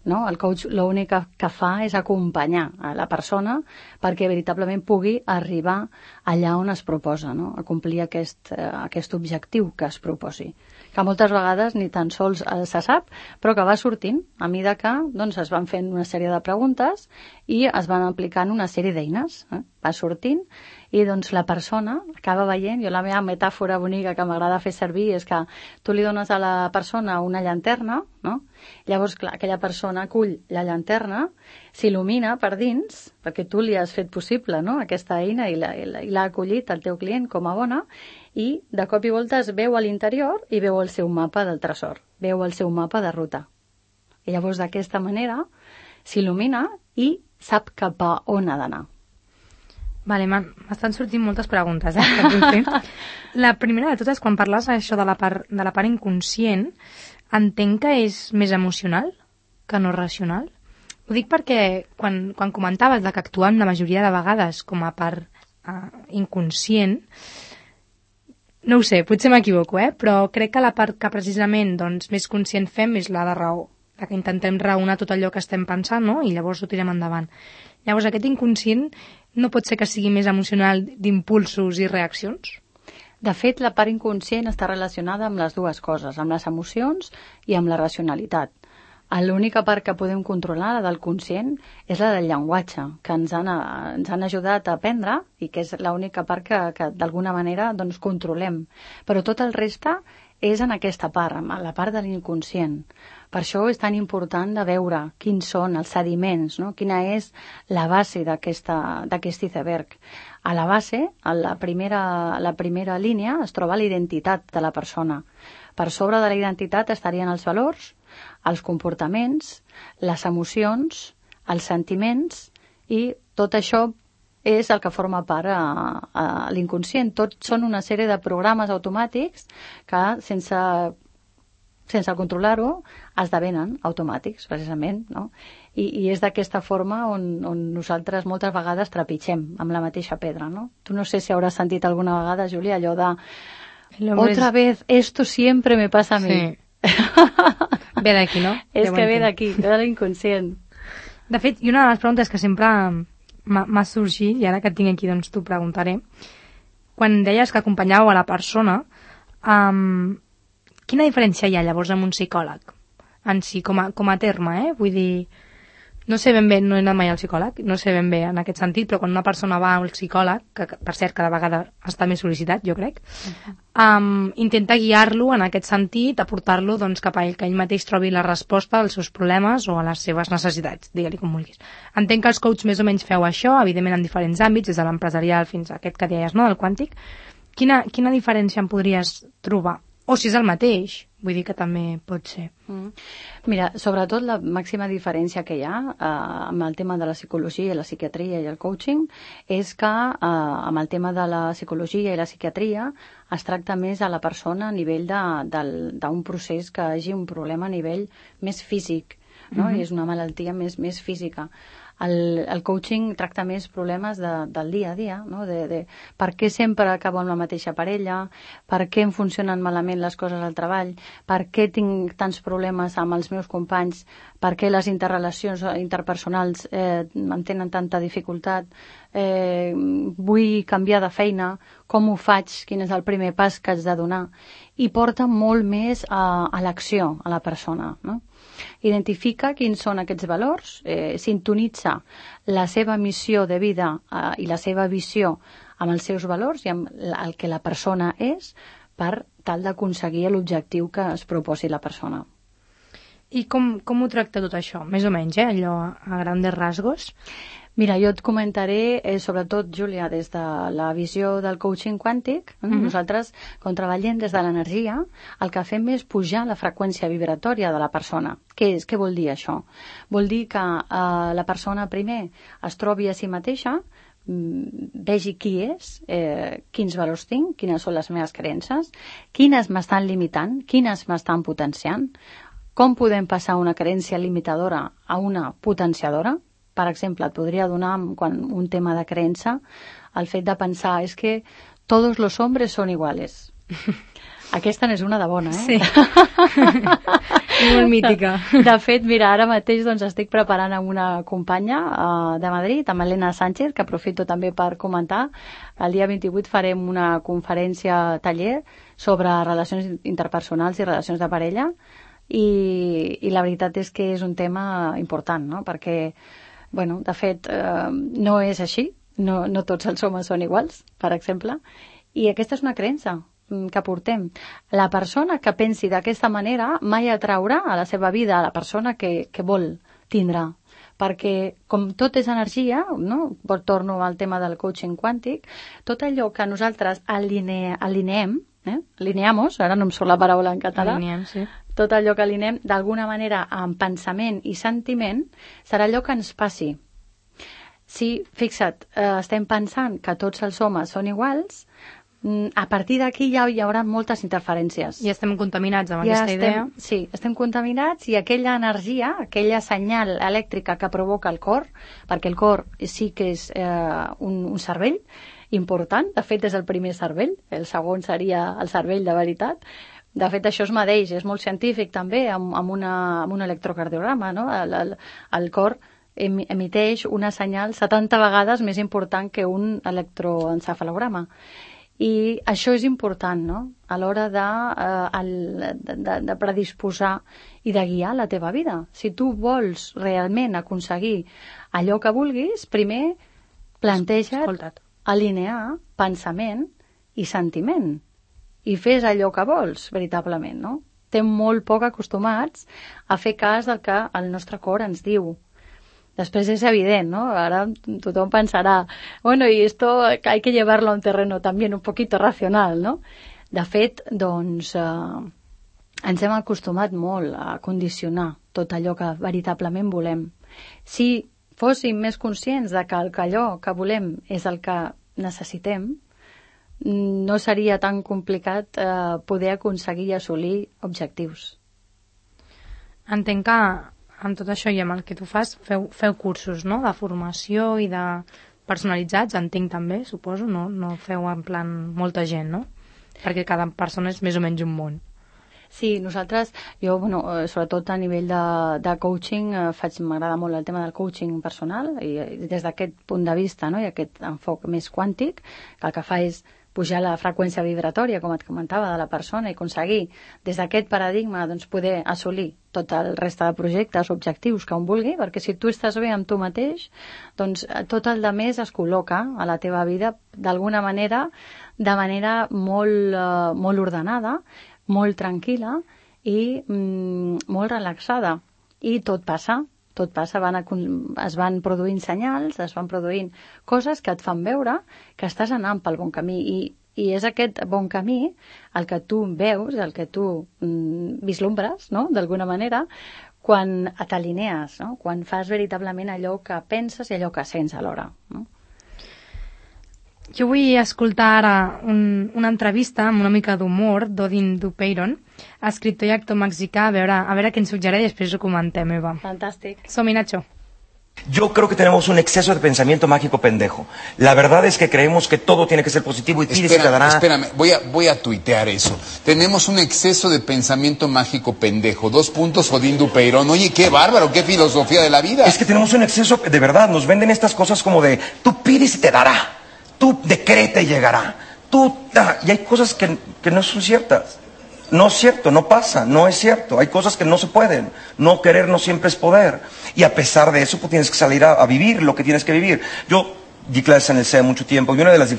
Speaker 6: No? El coach l'únic que fa és acompanyar a la persona perquè veritablement pugui arribar allà on es proposa, no? A complir aquest objectiu que es proposi, que moltes vegades ni tan sols se sap, però que va sortint a mesura que doncs, es van fent una sèrie de preguntes i es van aplicant una sèrie d'eines. Va sortint i doncs la persona acaba veient, jo la meva metàfora bonica que m'agrada fer servir és que tu li dones a la persona una llanterna, no? Llavors, clar, aquella persona acull la llanterna, s'il·lumina per dins, perquè tu li has fet possible, no?, aquesta eina i l'ha acollit el teu client com a bona, i de cop i volta es veu a l'interior i veu el seu mapa del tresor, veu el seu mapa de ruta. I llavors d'aquesta manera s'il·lumina i sap cap a on ha d'anar.
Speaker 4: Vale, m'estan sortint moltes preguntes, que vull fer. La primera de totes, quan parles això de la part inconscient, entenc que és més emocional que no racional. Ho dic perquè quan comentaves que actuem la majoria de vegades com a part inconscient, no ho sé, potser m'equivoco, però crec que la part que precisament més conscient fem és la de raó, la que intentem raonar tot allò que estem pensant, no? I llavors ho tirem endavant. Llavors aquest inconscient no pot ser que sigui més emocional d'impulsos i reaccions?
Speaker 6: De fet, la part inconscient està relacionada amb les dues coses, amb les emocions i amb la racionalitat. L'única part que podem controlar, la del conscient, és la del llenguatge, que ens han ajudat a aprendre i que és l'única part que d'alguna manera controlem. Però tot el reste és en aquesta part, en la part de l'inconscient. Per això és tan important de veure quins són els sediments, no? Quina és la base d'aquest iceberg. A la base, a la primera línia, es troba la identitat de la persona. Per sobre de la identitat estarien els valors, els comportaments, les emocions, els sentiments, i tot això és el que forma part a l'inconscient. Tots són una sèrie de programes automàtics que, sense controlar-ho, esdevenen automàtics, precisament, no? I és d'aquesta forma on nosaltres moltes vegades trepitgem amb la mateixa pedra, no? Tu no sé si hauràs sentit alguna vegada, Júlia, allò de otra vez, esto siempre me pasa a mí.
Speaker 4: Sí. Ve d'aquí, no?
Speaker 6: És que ve d'aquí, ve de l'inconscient.
Speaker 4: De fet, i una de les preguntes que sempre m'ha sorgit, i ara que et tinc aquí t'ho preguntaré, quan deies que acompanyàveu a la persona, quina diferència hi ha llavors amb un psicòleg en si, com a terme, Vull dir, no sé ben bé, no he anat mai al psicòleg, no sé ben bé en aquest sentit, però quan una persona va al psicòleg, que per cert cada vegada està més sol·licitat, jo crec, intenta guiar-lo en aquest sentit, aportar-lo cap a ell, que ell mateix trobi la resposta als seus problemes o a les seves necessitats, digue-li com vulguis. Entenc que els coaches més o menys feu això, evidentment en diferents àmbits, des de l'empresarial fins a aquest que deies, no?, del quàntic. Quina diferència em podries trobar? O si és el mateix, vull dir que també pot ser.
Speaker 6: Mira, sobretot la màxima diferència que hi ha amb el tema de la psicologia, la psiquiatria i el coaching és que amb el tema de la psicologia i la psiquiatria es tracta més a la persona a nivell d'un procés que hagi un problema a nivell més físic, no? I és una malaltia més física. El coaching tracta més problemes del dia a dia, no? De per què sempre acabo amb la mateixa parella, per què em funcionen malament les coses al treball, per què tinc tants problemes amb els meus companys, per què les interrelacions interpersonals em tenen tanta dificultat, vull canviar de feina, com ho faig, quin és el primer pas que haig de donar, i porta molt més a l'acció a la persona, no? Identifica quins són aquests valors, sintonitza la seva missió de vida i la seva visió amb els seus valors i amb el que la persona és per tal d'aconseguir l'objectiu que es proposi la persona.
Speaker 4: I com ho tracta tot això? Més o menys, allò a grandes rasgos?
Speaker 6: Mira, jo et comentaré, sobretot, Júlia, des de la visió del coaching quàntic. Nosaltres, quan treballem des de l'energia, el que fem és pujar la freqüència vibratòria de la persona. Què vol dir això? Vol dir que la persona primer es trobi a si mateixa, vegi qui és, quins valors tinc, quines són les meves creences, quines m'estan limitant, quines m'estan potenciant, com podem passar una creencia limitadora a una potenciadora. Per exemple, et podria donar un tema de creença el fet de pensar és que tots els homes són iguals. Aquesta n'és una de bona,
Speaker 4: Sí. Molt mítica.
Speaker 6: De fet, mira, ara mateix estic preparant amb una companya de Madrid, amb Elena Sánchez, que aprofito també per comentar. El dia 28 farem una conferència taller sobre relacions interpersonals i relacions de parella i la veritat és que és un tema important, no? Perquè de fet, no és així, no tots els homes són iguals, per exemple, i aquesta és una creença que portem. La persona que pensi d'aquesta manera mai atraurà a la seva vida a la persona que vol tindrà, perquè com tot és energia, no? Torno al tema del coaching quàntic, tot allò que nosaltres alineem, alineamos, ara no em surt la paraula en català,
Speaker 4: Alineem, sí.
Speaker 6: Tot allò que alinem d'alguna manera amb pensament i sentiment serà allò que ens passi. Si, fixa't, estem pensant que tots els homes són iguals, a partir d'aquí ja hi haurà moltes interferències.
Speaker 4: Ja estem contaminats amb aquesta idea.
Speaker 6: Sí, estem contaminats i aquella energia, aquella senyal elèctrica que provoca el cor, perquè el cor sí que és un cervell important, de fet és el primer cervell, el segon seria el cervell de veritat. De fet, això es medeix, és molt científic també, amb un electrocardiograma, no? El cor emiteix una senyal 70 vegades més important que un electroencefalograma. I això és important, no?, a l'hora de predisposar i de guiar la teva vida. Si tu vols realment aconseguir allò que vulguis, primer planteja't alinear pensament i sentiment i fes allò que vols, veritablement, no? Estem molt poc acostumats a fer cas del que el nostre cor ens diu. Després és evident, ¿no? Ahora tothom pensarà, bueno, y esto hay que llevarlo a un terreno también un poquito racional, ¿no? De fet, doncs, ens hem acostumat molt a condicionar tot allò que veritablement volem. Si fóssim més conscients de que allò que volem és el que necessitem, no seria tan complicat poder aconseguir i assolir objectius.
Speaker 4: Entenc que amb tot això i amb el que tu fas, feu cursos, no?, de formació i de personalitzats, entenc també, suposo, no feu en plan molta gent, no? Perquè cada persona és més o menys un món.
Speaker 6: Sí, nosaltres, jo, sobretot a nivell de coaching, m'agrada molt el tema del coaching personal, i des d'aquest punt de vista, no?, i aquest enfoc més quàntic, que el que fa és pujar la freqüència vibratòria, com et comentava, de la persona i aconseguir, des d'aquest paradigma, doncs, poder assolir tot el reste de projectes, objectius que un vulgui, perquè si tu estàs bé amb tu mateix, doncs tot el de més es col·loca a la teva vida d'alguna manera, de manera molt ordenada, molt tranquil·la i molt relaxada. I tot passa, es van produint senyals, es van produint coses que et fan veure que estàs anant pel bon camí i és aquest bon camí el que tu veus, el que tu vislumbres, no?, d'alguna manera, quan t'alinees, no?, quan fas veritablement allò que penses i allò que sents alhora, no?
Speaker 4: Jo vull escoltar ara una entrevista amb una mica d'humor d'Odin Dupeyron, escriptor i actor mexicà, a veure què ens suggereix i després ho comentem, Eva.
Speaker 6: Fantàstic.
Speaker 4: Som-hi, Nacho.
Speaker 7: Yo creo que tenemos un exceso de pensamiento mágico pendejo. La verdad es que creemos que todo tiene que ser positivo y pides y te dará...
Speaker 8: Espérame, voy a tuitear eso. Tenemos un exceso de pensamiento mágico pendejo. 2 puntos, Odín Dupeyron. Oye, qué bárbaro, qué filosofía de la vida.
Speaker 7: Es que tenemos un exceso, de verdad, nos venden estas cosas como de tú pides y te dará, tú decreta y llegará, y hay cosas que no son ciertas. No es cierto, no pasa, no es cierto. Hay cosas que no se pueden. No querer no siempre es poder. Y a pesar de eso, pues tienes que salir a vivir lo que tienes que vivir. Yo di clases en el CEA mucho tiempo y una de las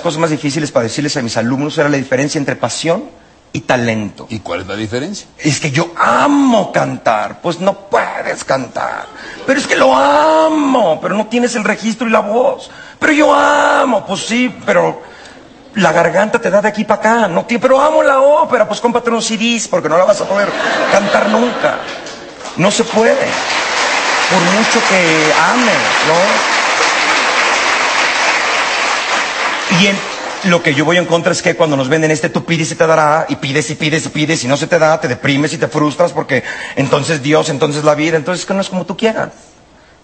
Speaker 7: cosas más difíciles para decirles a mis alumnos era la diferencia entre pasión y talento.
Speaker 8: ¿Y cuál es la diferencia?
Speaker 7: Es que yo amo cantar. Pues no puedes cantar. Pero es que lo amo. Pero no tienes el registro y la voz. Pero yo amo. Pues sí, pero... la garganta te da de aquí para acá, no, pero amo la ópera, pues cómprate unos CDs porque no la vas a poder cantar nunca. No se puede, por mucho que ames, ¿no? Y lo que yo voy en contra es que cuando nos venden tú pides y te dará, y pides y pides y pides y no se te da, te deprimes y te frustras porque entonces Dios, entonces la vida, entonces que no es como tú quieras.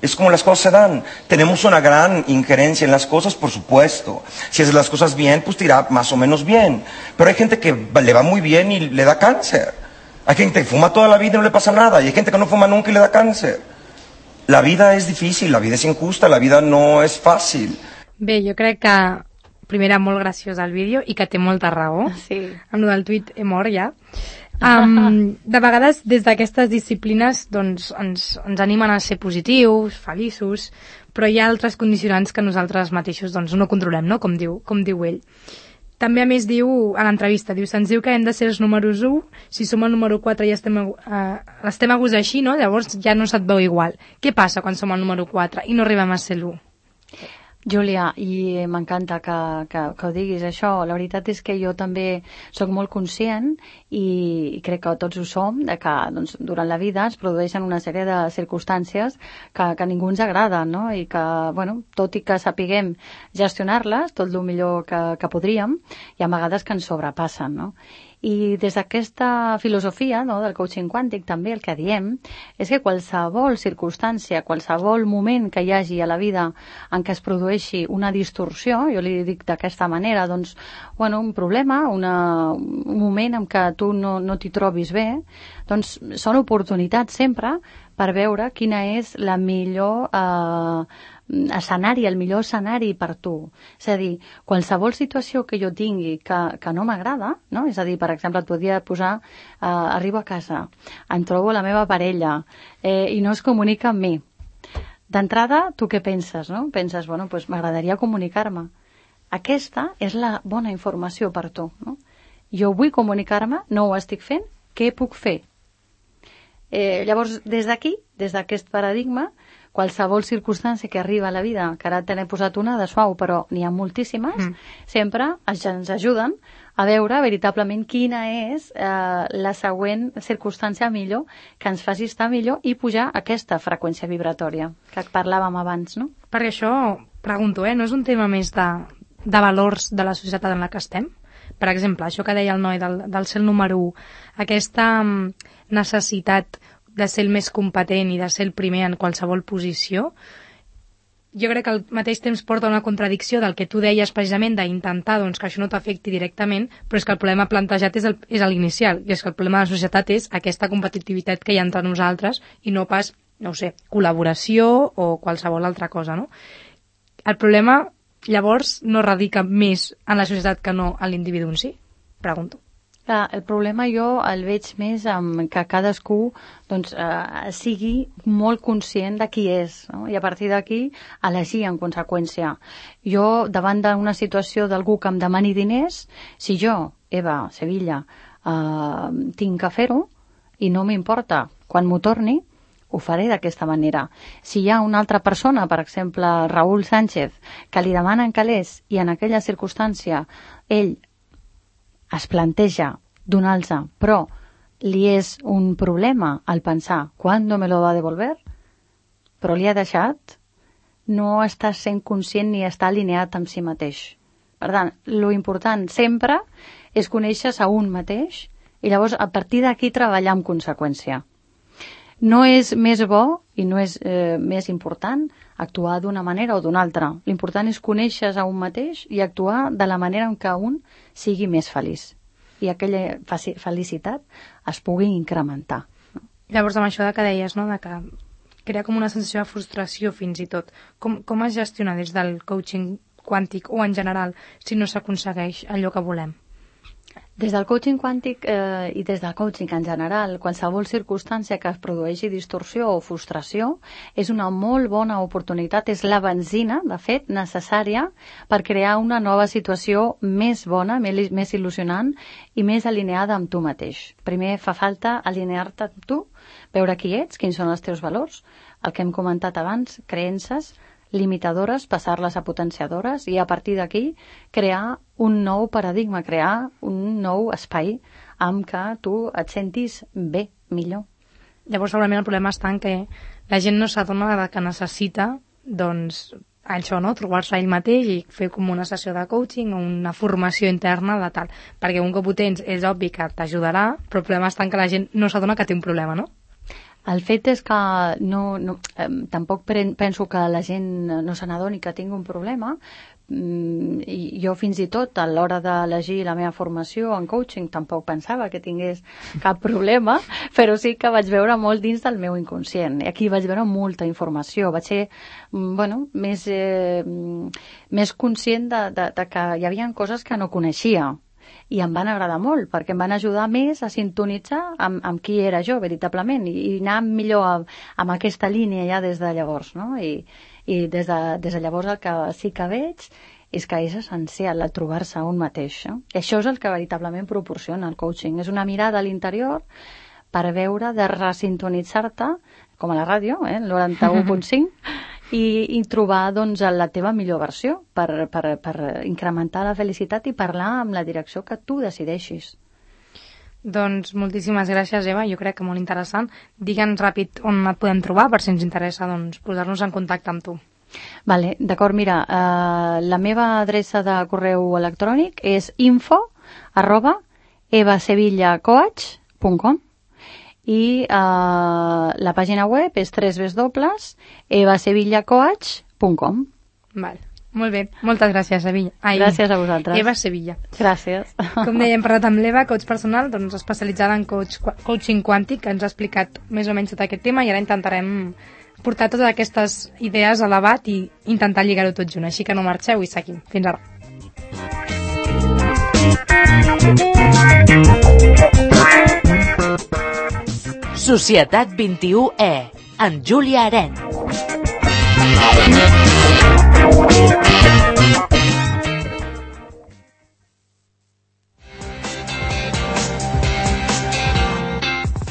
Speaker 7: Es como las cosas se dan. Tenemos una gran injerencia en las cosas, por supuesto. Si haces las cosas bien, pues te irá más o menos bien. Pero hay gente que le va muy bien y le da cáncer. Hay gente que fuma toda la vida y no le pasa nada. Y hay gente que no fuma nunca y le da cáncer. La vida és difícil, la vida és injusta, la vida no és fàcil.
Speaker 4: Bé, jo crec que primer era molt graciós el vídeo i que té molta raó.
Speaker 6: Sí.
Speaker 4: Amb el del tuit he mort ja. De vegades des d'aquestes disciplines doncs, ens animen a ser positius, feliços, però hi ha altres condicionants que nosaltres mateixos doncs, no controlem, no? Com diu ell. També a més diu a l'entrevista, se'ns diu que hem de ser els números 1, si som el número 4 ja estem a gust així, no? Llavors ja no se't veu igual. Què passa quan som el número 4 i no arribem a ser l'1?
Speaker 6: Júlia, i m'encanta que ho diguis això. La veritat és que jo també sóc molt conscient i crec que tots ho som, de que doncs, durant la vida es produeixen una sèrie de circumstàncies que a ningú ens agrada, no? I que, bueno, tot i que sapiguem gestionar-les tot el millor que podríem, hi ha vegades que ens sobrepassen, no? I des d'aquesta filosofia, no, del coaching quàntic també el que diem és que qualsevol circumstància, qualsevol moment que hi hagi a la vida en què es produeixi una distorsió, jo li dic d'aquesta manera, doncs, bueno, un problema, un moment en què tu no t'hi trobis bé, doncs són oportunitats sempre per veure quina és la millor escenari, el millor escenari per tu. És a dir, qualsevol situació que jo tingui que no m'agrada, no? És a dir, per exemple, et podria posar, arribo a casa, em trobo la meva parella i no es comunica amb mi. D'entrada, tu què penses, no? Penses, bueno, doncs m'agradaria comunicar-me. Aquesta és la bona informació per tu, no? Jo vull comunicar-me, no ho estic fent, què puc fer? Llavors, des d'aquí, des d'aquest paradigma, qualsevol circumstància que arriba a la vida, que ara te n'he posat una de suau, però n'hi ha moltíssimes, sempre ens ajuden a veure veritablement quina és la següent circumstància millor que ens faci estar millor i pujar aquesta freqüència vibratòria que parlàvem abans, no?
Speaker 4: Perquè això, pregunto, no és un tema més de valors de la societat en la que estem? Per exemple, això que deia el noi del ser el número 1, aquesta necessitat de ser el més competent i de ser el primer en qualsevol posició, jo crec que al mateix temps porta una contradicció del que tu deies precisament d'intentar doncs, que això no t'afecti directament, però és que el problema plantejat és l'inicial, i és que el problema de la societat és aquesta competitivitat que hi ha entre nosaltres i no pas, no ho sé, col·laboració o qualsevol altra cosa, no? El problema, llavors, no radica més en la societat que no en l'individu en si? Pregunto.
Speaker 6: El problema jo el veig més en que cadascú doncs, sigui molt conscient de qui és, no? I a partir d'aquí elegir en conseqüència. Jo, davant d'una situació d'algú que em demani diners, si jo, Eva, Sevilla, tinc que fer-ho i no m'importa quan m'ho torni, ho faré d'aquesta manera. Si hi ha una altra persona, per exemple, Raúl Sánchez, que li demanen calés i en aquella circumstància ell es planteja donar-los, però li és un problema al pensar ¿cuándo me lo va a devolver? Però li ha deixat, no està sent conscient ni està alineat amb si mateix. Per tant, lo important sempre és conèixer-se a un mateix i llavors a partir d'aquí treballar en conseqüència. No és més bo i no és més important actuar d'una manera o d'una altra. L'important és conèixer-se a un mateix i actuar de la manera en què un sigui més feliç i aquella felicitat es pugui incrementar.
Speaker 4: Llavors, amb això que deies, no? De que crea com una sensació de frustració fins i tot. Com es gestiona des del coaching quàntic o en general si no s'aconsegueix allò que volem?
Speaker 6: Des del coaching quàntic i des del coaching en general, qualsevol circumstància que es produeixi distorsió o frustració és una molt bona oportunitat, és la benzina, de fet, necessària per crear una nova situació més bona, més il·lusionant i més alineada amb tu mateix. Primer fa falta alinear-te amb tu, veure qui ets, quins són els teus valors, el que hem comentat abans, creences limitadores, passar-les a potenciadores i a partir d'aquí crear un nou paradigma, crear un nou espai amb què tu et sentis bé, millor.
Speaker 4: Llavors segurament el problema està en que la gent no s'adona que necessita doncs això, no? Trobar-se ell mateix i fer com una sessió de coaching o una formació interna de tal, perquè un cop ho tens és obvi que t'ajudarà, però el problema està en que la gent no s'adona que té un problema, no?
Speaker 6: El fet és que tampoc penso que la gent no se n'adoni que tingui un problema. I jo fins i tot a l'hora d'elegir la meva formació en coaching tampoc pensava que tingués cap problema, però sí que vaig veure molt dins del meu inconscient. I aquí vaig veure molta informació. Vaig ser més conscient de que hi havia coses que no coneixia. I em van agradar molt, perquè em van ajudar més a sintonitzar amb qui era jo, veritablement, i anar millor amb aquesta línia ja des de llavors, no? I des de llavors el que sí que veig és que és essencial el trobar-se a un mateix, no? I això és el que veritablement proporciona el coaching. És una mirada a l'interior per veure de resintonitzar-te, com a la ràdio, el 91.5, i trobar doncs, la teva millor versió per incrementar la felicitat i parlar amb la direcció que tu decideixis.
Speaker 4: Doncs moltíssimes gràcies, Eva, jo crec que molt interessant. Digue'ns ràpid on et podem trobar per si ens interessa doncs, posar-nos en contacte amb tu.
Speaker 6: Vale, d'acord, mira, la meva adreça de correu electrònic és info@evasevillacoach.com i la pàgina web és www.evasevillacoach.com.
Speaker 4: Vale. Molt bé, moltes gràcies, Sevilla.
Speaker 6: Gràcies a vosaltres.
Speaker 4: Eva Sevilla.
Speaker 6: Gràcies.
Speaker 4: Com deia, hem parlat amb l'Eva, coach personal, doncs especialitzada en coaching quàntic, que ens ha explicat més o menys tot aquest tema, i ara intentarem portar totes aquestes idees a debat i intentar lligar-ho tot junt. Així que no marxeu i seguim. Fins ara.
Speaker 3: Societat 21E, amb Júlia Arenys.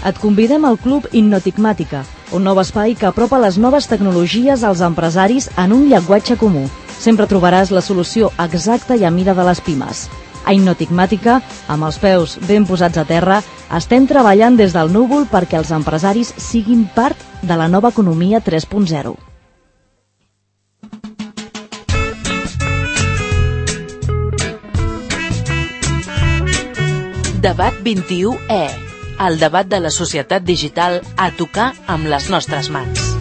Speaker 2: Et convidem al Club Innotigmàtica, un nou espai que apropa les noves tecnologies als empresaris en un llenguatge comú. Sempre trobaràs la solució exacta i a mida de les pimes. A Innotigmàtica, amb els peus ben posats a terra, estem treballant des del núvol perquè els empresaris siguin part de la nova economia 3.0.
Speaker 3: Debat 21E, el debat de la societat digital a tocar amb les nostres mans.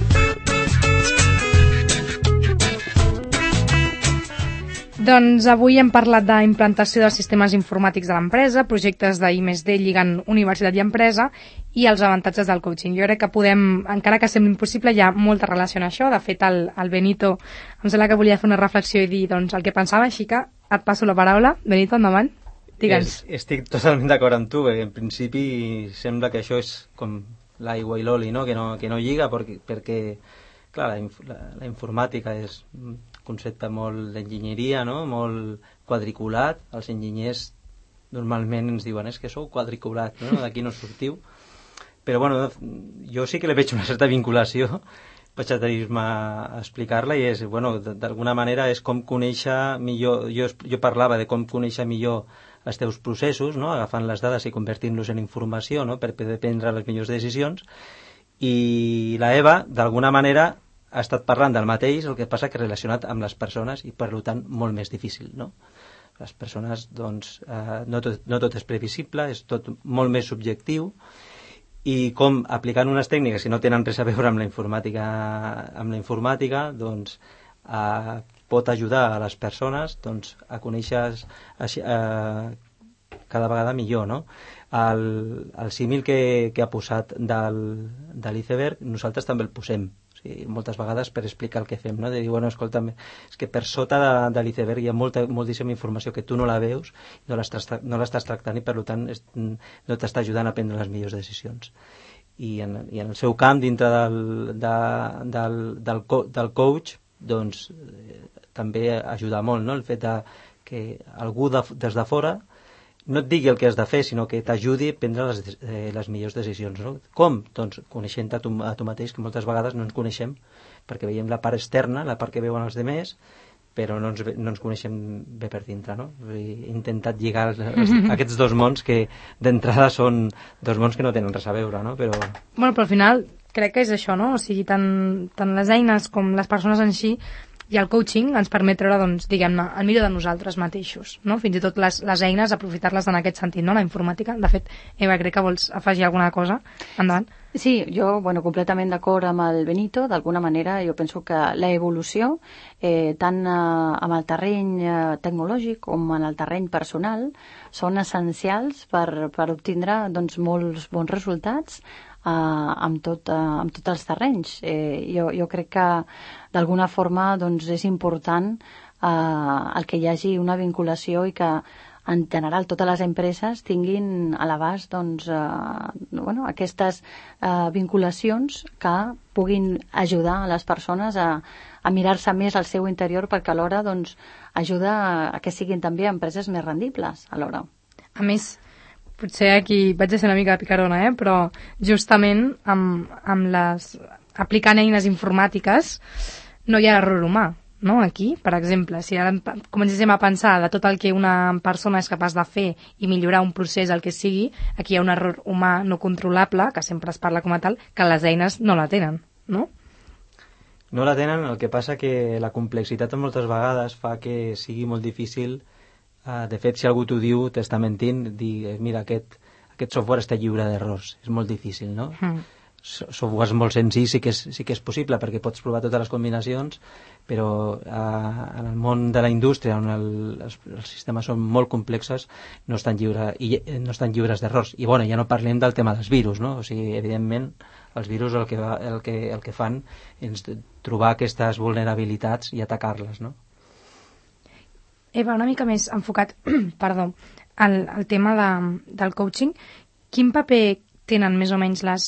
Speaker 4: Doncs avui hem parlat d'implantació dels sistemes informàtics de l'empresa, projectes d'I+D lligant universitat i empresa i els avantatges del coaching. Jo crec que podem, encara que sembli impossible, hi ha molta relació en això. De fet, el Benito em sembla que volia fer una reflexió i dir doncs, el que pensava, així que et passo la paraula. Benito, endavant. Digue'ns.
Speaker 5: Estic totalment d'acord amb tu. En principi sembla que això és com l'aigua i l'oli, no? Que no lliga perquè clar, la informàtica és un concepte molt d'enginyeria, no? Molt quadriculat. Els enginyers normalment ens diuen és que sou quadriculat, no? D'aquí no sortiu. Però bueno, jo sí que li veig una certa vinculació, vaig atreure-me a explicar-la, i és, bueno, d'alguna manera és com conèixer millor, jo parlava de com conèixer millor els teus processos, no? Agafant les dades i convertint-los en informació, no? Per prendre les millors decisions, i la Eva, d'alguna manera, ha estat parlant del mateix, el que passa que relacionat amb les persones i per tant molt més difícil, no? Les persones, doncs, no tot és previsible, és tot molt més subjectiu, i com aplicant unes tècniques que no tenen res a veure amb la informàtica, doncs pot ajudar a les persones doncs, a conèixer cada vegada millor, no? El símil que ha posat de l'iceberg, nosaltres també el posem. O sigui, moltes vegades per explicar el que fem, no? De dir, bueno, escolta'm, és que per sota de l'iceberg hi ha moltíssima informació que tu no la veus, no l'estàs tractant i per tant no t'està ajudant a prendre les millors decisions. I en el seu camp, dintre del coach, doncs també ajuda molt, no? El fet que algú des de fora no et digui el que has de fer, sinó que t'ajudi a prendre les millors decisions, no? Com? Doncs coneixent a tu mateix, que moltes vegades no ens coneixem, perquè veiem la part externa, la part que veuen els demés, però no ens coneixem bé per dintre, no? He intentat lligar aquests dos mons que d'entrada són dos mons que no tenen res a veure, no? Però
Speaker 4: al final crec que és això, no? O sigui, tant les eines com les persones en si i el coaching ens permet treure, doncs, diguem-ne, el millor de nosaltres mateixos, no? Fins i tot les eines, aprofitar-les en aquest sentit, no? La informàtica. De fet, Eva, crec que vols afegir alguna cosa. Endavant.
Speaker 6: Sí, jo, completament d'acord amb el Benito. D'alguna manera, jo penso que la evolució, tant amb el terreny tecnològic com en el terreny personal, són essencials per obtindre, doncs, molts bons resultats amb tots els terrenys. Jo crec que d'alguna forma doncs, és important el que hi hagi una vinculació i que en general totes les empreses tinguin a l'abast doncs, aquestes vinculacions que puguin ajudar a les persones a mirar-se més al seu interior, perquè alhora doncs, ajuda a que siguin també empreses més rendibles alhora.
Speaker 4: A més, potser aquí vaig a ser una mica picarona, però justament aplicant eines informàtiques no hi ha error humà, no? Aquí, per exemple, si ara comencéssim a pensar de tot el que una persona és capaç de fer i millorar un procés, el que sigui, aquí hi ha un error humà no controlable, que sempre es parla com a tal, que les eines no la tenen, no?
Speaker 5: No la tenen, el que passa que la complexitat moltes vegades fa que sigui molt difícil. De fet, si algú t'ho diu, t'està mentint, dir, mira, aquest software està lliure d'errors. És molt difícil, no? Softwares molt senzills sí que és possible, perquè pots provar totes les combinacions, però en el món de la indústria, on els sistemes són molt complexos, no estan lliures d'errors. I bueno, ja no parlem del tema dels virus, no? O sigui, evidentment, els virus el que fan és trobar aquestes vulnerabilitats i atacar-les, no?
Speaker 4: Eva, una mica més enfocat perdó, al tema del coaching, quin paper tenen més o menys les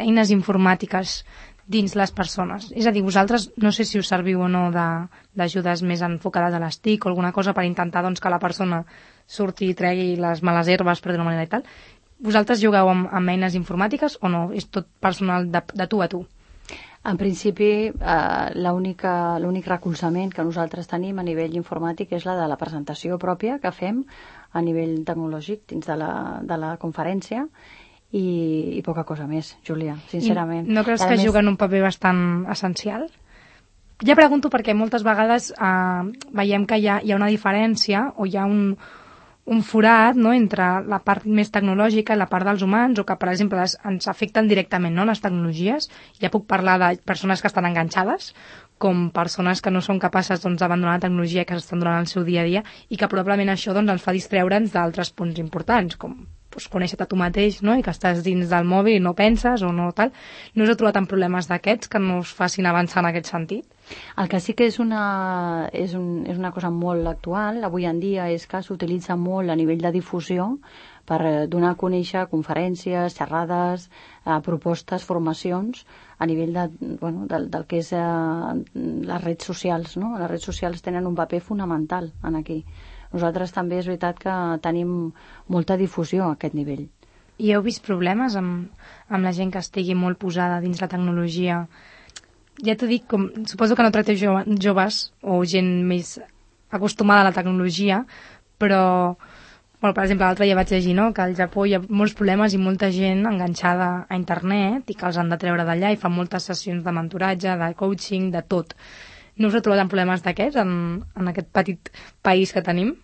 Speaker 4: eines informàtiques dins les persones? És a dir, vosaltres no sé si us serviu o no d'ajudes més enfocades a les TIC o alguna cosa per intentar doncs, que la persona surti i tregui les males herbes, per d'una manera i tal. Vosaltres jugueu amb eines informàtiques o no? És tot personal de tu a tu?
Speaker 6: En principi, l'únic recolzament que nosaltres tenim a nivell informàtic és la de la presentació pròpia que fem a nivell tecnològic dins de la conferència i poca cosa més, Júlia, sincerament.
Speaker 4: I no creus que juguen un paper bastant essencial? Ja pregunto perquè moltes vegades veiem que hi ha una diferència o hi ha un forat, no?, entre la part més tecnològica i la part dels humans, o que, per exemple, ens afecten directament, no?, les tecnologies. Ja puc parlar de persones que estan enganxades, com persones que no són capaces d'abandonar la tecnologia que s'estan donant al seu dia a dia i que probablement això ens fa distreure'ns d'altres punts importants, com conèixer-te a tu mateix, no?, i que estàs dins del mòbil i no penses o no tal. No us heu trobat amb problemes d'aquests que no us facin avançar en aquest sentit?
Speaker 6: El que sí que és una cosa molt actual avui en dia és que s'utilitza molt a nivell de difusió per donar a conèixer conferències, xerrades, propostes, formacions a nivell del que és les redes socials, no? Les redes socials tenen un paper fonamental en aquí. Nosaltres també és veritat que tenim molta difusió a aquest nivell.
Speaker 4: I heu vist problemes amb la gent que estigui molt posada dins la tecnologia? Ja t'ho dic, suposo que no tracteu joves o gent més acostumada a la tecnologia, però, per exemple, l'altre dia vaig llegir, no?, que al Japó hi ha molts problemes i molta gent enganxada a internet i que els han de treure d'allà i fan moltes sessions de mentoratge, de coaching, de tot. No us heu trobat amb problemes d'aquests en aquest petit país que tenim?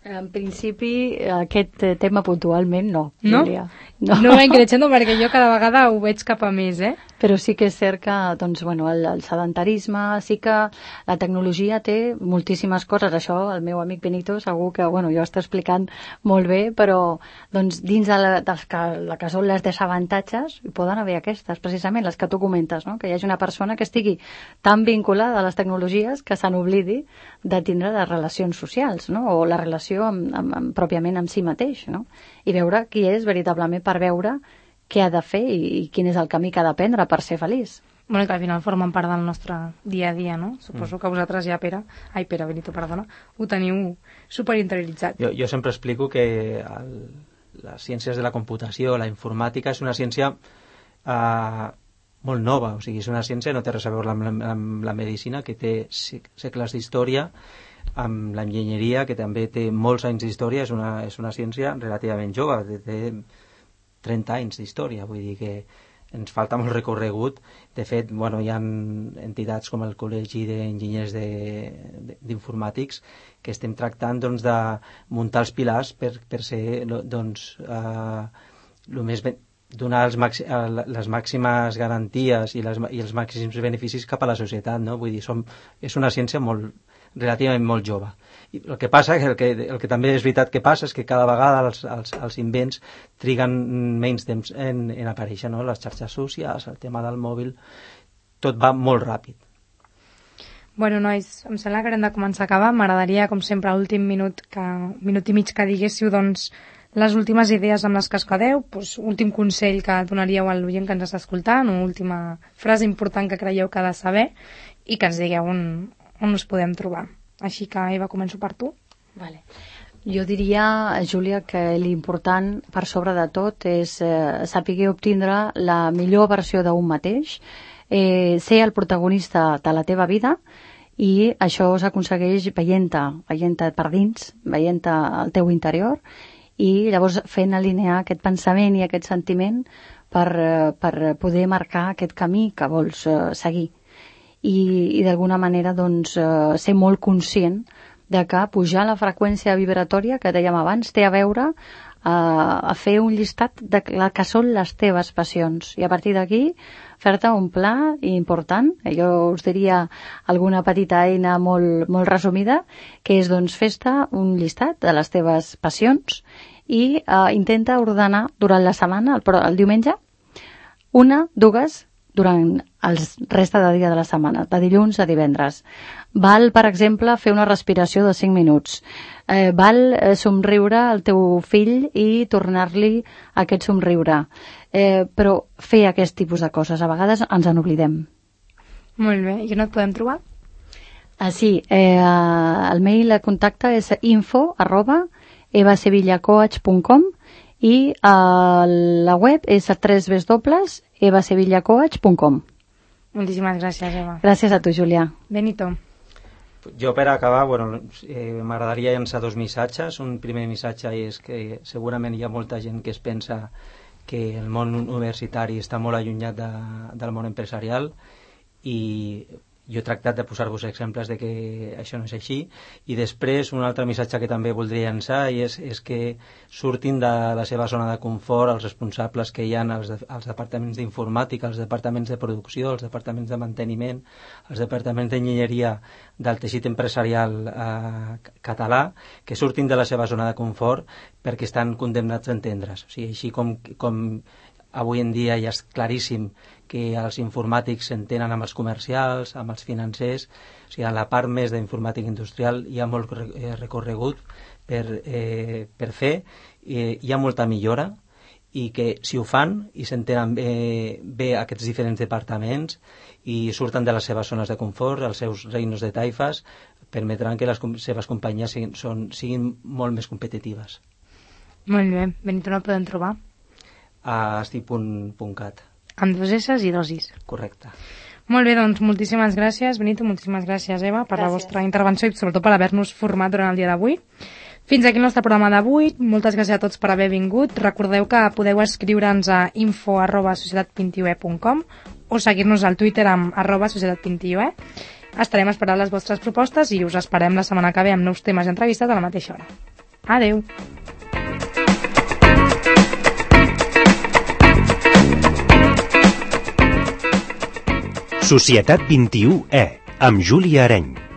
Speaker 6: En principi, aquest tema puntualment no,
Speaker 4: no?
Speaker 6: Júlia.
Speaker 4: No va increixendo perquè jo cada vegada ho veig cap a més,
Speaker 6: Però sí que és cert que el sedentarisme, sí que la tecnologia té moltíssimes coses. Això el meu amic Benito segur que jo està explicant molt bé, però dins de que són les desavantatges hi poden haver aquestes, precisament les que tu comentes, no? Que hi hagi una persona que estigui tan vinculada a les tecnologies que se n'oblidi de tindre les relacions socials, no? O la relació pròpiament amb si mateix, no? I veure qui és veritablement per veure què ha de fer i quin és el camí que ha de prendre per ser feliç.
Speaker 4: Bueno, que al final formen part del nostre dia a dia, no? Suposo que vosaltres ja, Benito, ho teniu superinterioritzat.
Speaker 5: Jo sempre explico que les ciències de la computació, la informàtica, és una ciència molt nova, o sigui, és una ciència no té res a veure amb la medicina, que té segles d'història, amb l'enginyeria, que també té molts anys d'història, és una ciència relativament jove, té 30 anys d'història, vull dir que ens falta molt recorregut. De fet, hi ha entitats com el Col·legi d'Enginyers d'Informàtics que estem tractant de muntar els pilars per ser donar les màximes garanties i els màxims beneficis cap a la societat, no? Vull dir, és una ciència relativament molt jove. I el que passa, el que també és veritat que passa, és que cada vegada els invents triguen menys temps en aparèixer, no? Les xarxes socials, el tema del mòbil, tot va molt ràpid.
Speaker 4: Bueno, nois, em sembla que hem de començar a acabar. M'agradaria, com sempre, a l'últim minut i mig que diguéssiu, les últimes idees amb les que es quedeu, últim consell que donaríeu a l'oient que ens està escoltant, o última frase important que creieu que ha de saber, i que ens digueu on us podem trobar. Així que, Eva, començo per tu.
Speaker 6: Vale. Jo diria, Júlia, que l'important per sobre de tot és saber obtindre la millor versió d'un mateix, ser el protagonista de la teva vida, i això s'aconsegueix veient-te per dins, veient-te al teu interior, i llavors fent alinear aquest pensament i aquest sentiment per poder marcar aquest camí que vols seguir. I d'alguna manera doncs, ser molt conscient de que pujar la freqüència vibratòria que dèiem abans té a veure a fer un llistat de que són les teves passions, i a partir d'aquí fer-te un pla important. Jo us diria alguna petita eina molt, molt resumida, que és doncs fes-te un llistat de les teves passions i intenta ordenar durant la setmana, el diumenge, 1, 2, durant el resta de dia de la setmana, de dilluns a divendres. Val, per exemple, fer una respiració de 5 minuts. Val somriure al teu fill i tornar-li aquest somriure. Però fer aquest tipus de coses, a vegades ens en oblidem.
Speaker 4: Molt bé. I on et podem trobar?
Speaker 6: Sí, el mail de contacte és info@evasevillacoach.com i la web és www.evasevillacoach.com.
Speaker 4: Moltíssimes gràcies, Eva.
Speaker 6: Gràcies a tu, Júlia.
Speaker 4: Benito.
Speaker 5: Jo, per acabar, m'agradaria llançar 2 missatges. Un primer missatge és que segurament hi ha molta gent que es pensa que el món universitari està molt allunyat del món empresarial, i jo he tractat de posar-vos exemples de que això no és així. I després un altre missatge que també voldria llançar és que surtin de la seva zona de confort els responsables que hi ha als departaments d'informàtica, als departaments de producció, als departaments de manteniment, als departaments d'enginyeria del teixit empresarial català, que surtin de la seva zona de confort perquè estan condemnats a entendre's. O sigui, així com avui en dia ja és claríssim que els informàtics s'entenen amb els comercials, amb els financers, o sigui, en la part més d'informàtica industrial hi ha molt recorregut per fer, hi ha molta millora, i que si ho fan i s'entenen bé aquests diferents departaments i surten de les seves zones de confort, els seus reinos de taifes, permetran que les seves companyies siguin molt més competitives.
Speaker 4: Molt bé. Benito, no el podem trobar?
Speaker 5: A sti.cat.
Speaker 4: Amb 2 S's i 2 I's.
Speaker 5: Correcte.
Speaker 4: Molt bé, doncs moltíssimes gràcies, Benito, moltíssimes gràcies, Eva, per la vostra intervenció i sobretot per haver-nos format durant el dia d'avui. Fins aquí el nostre programa d'avui. Moltes gràcies a tots per haver vingut. Recordeu que podeu escriure'ns a info@societat21e.com o seguir-nos al Twitter amb @societat21e. Estarem esperant les vostres propostes i us esperem la setmana que ve amb nous temes i entrevistes a la mateixa hora. Adeu!
Speaker 1: Societat 21E, amb Júlia Areny.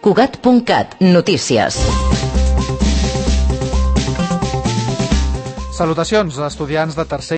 Speaker 3: Cugat.cat, notícies.
Speaker 9: Salutacions, estudiants de tercer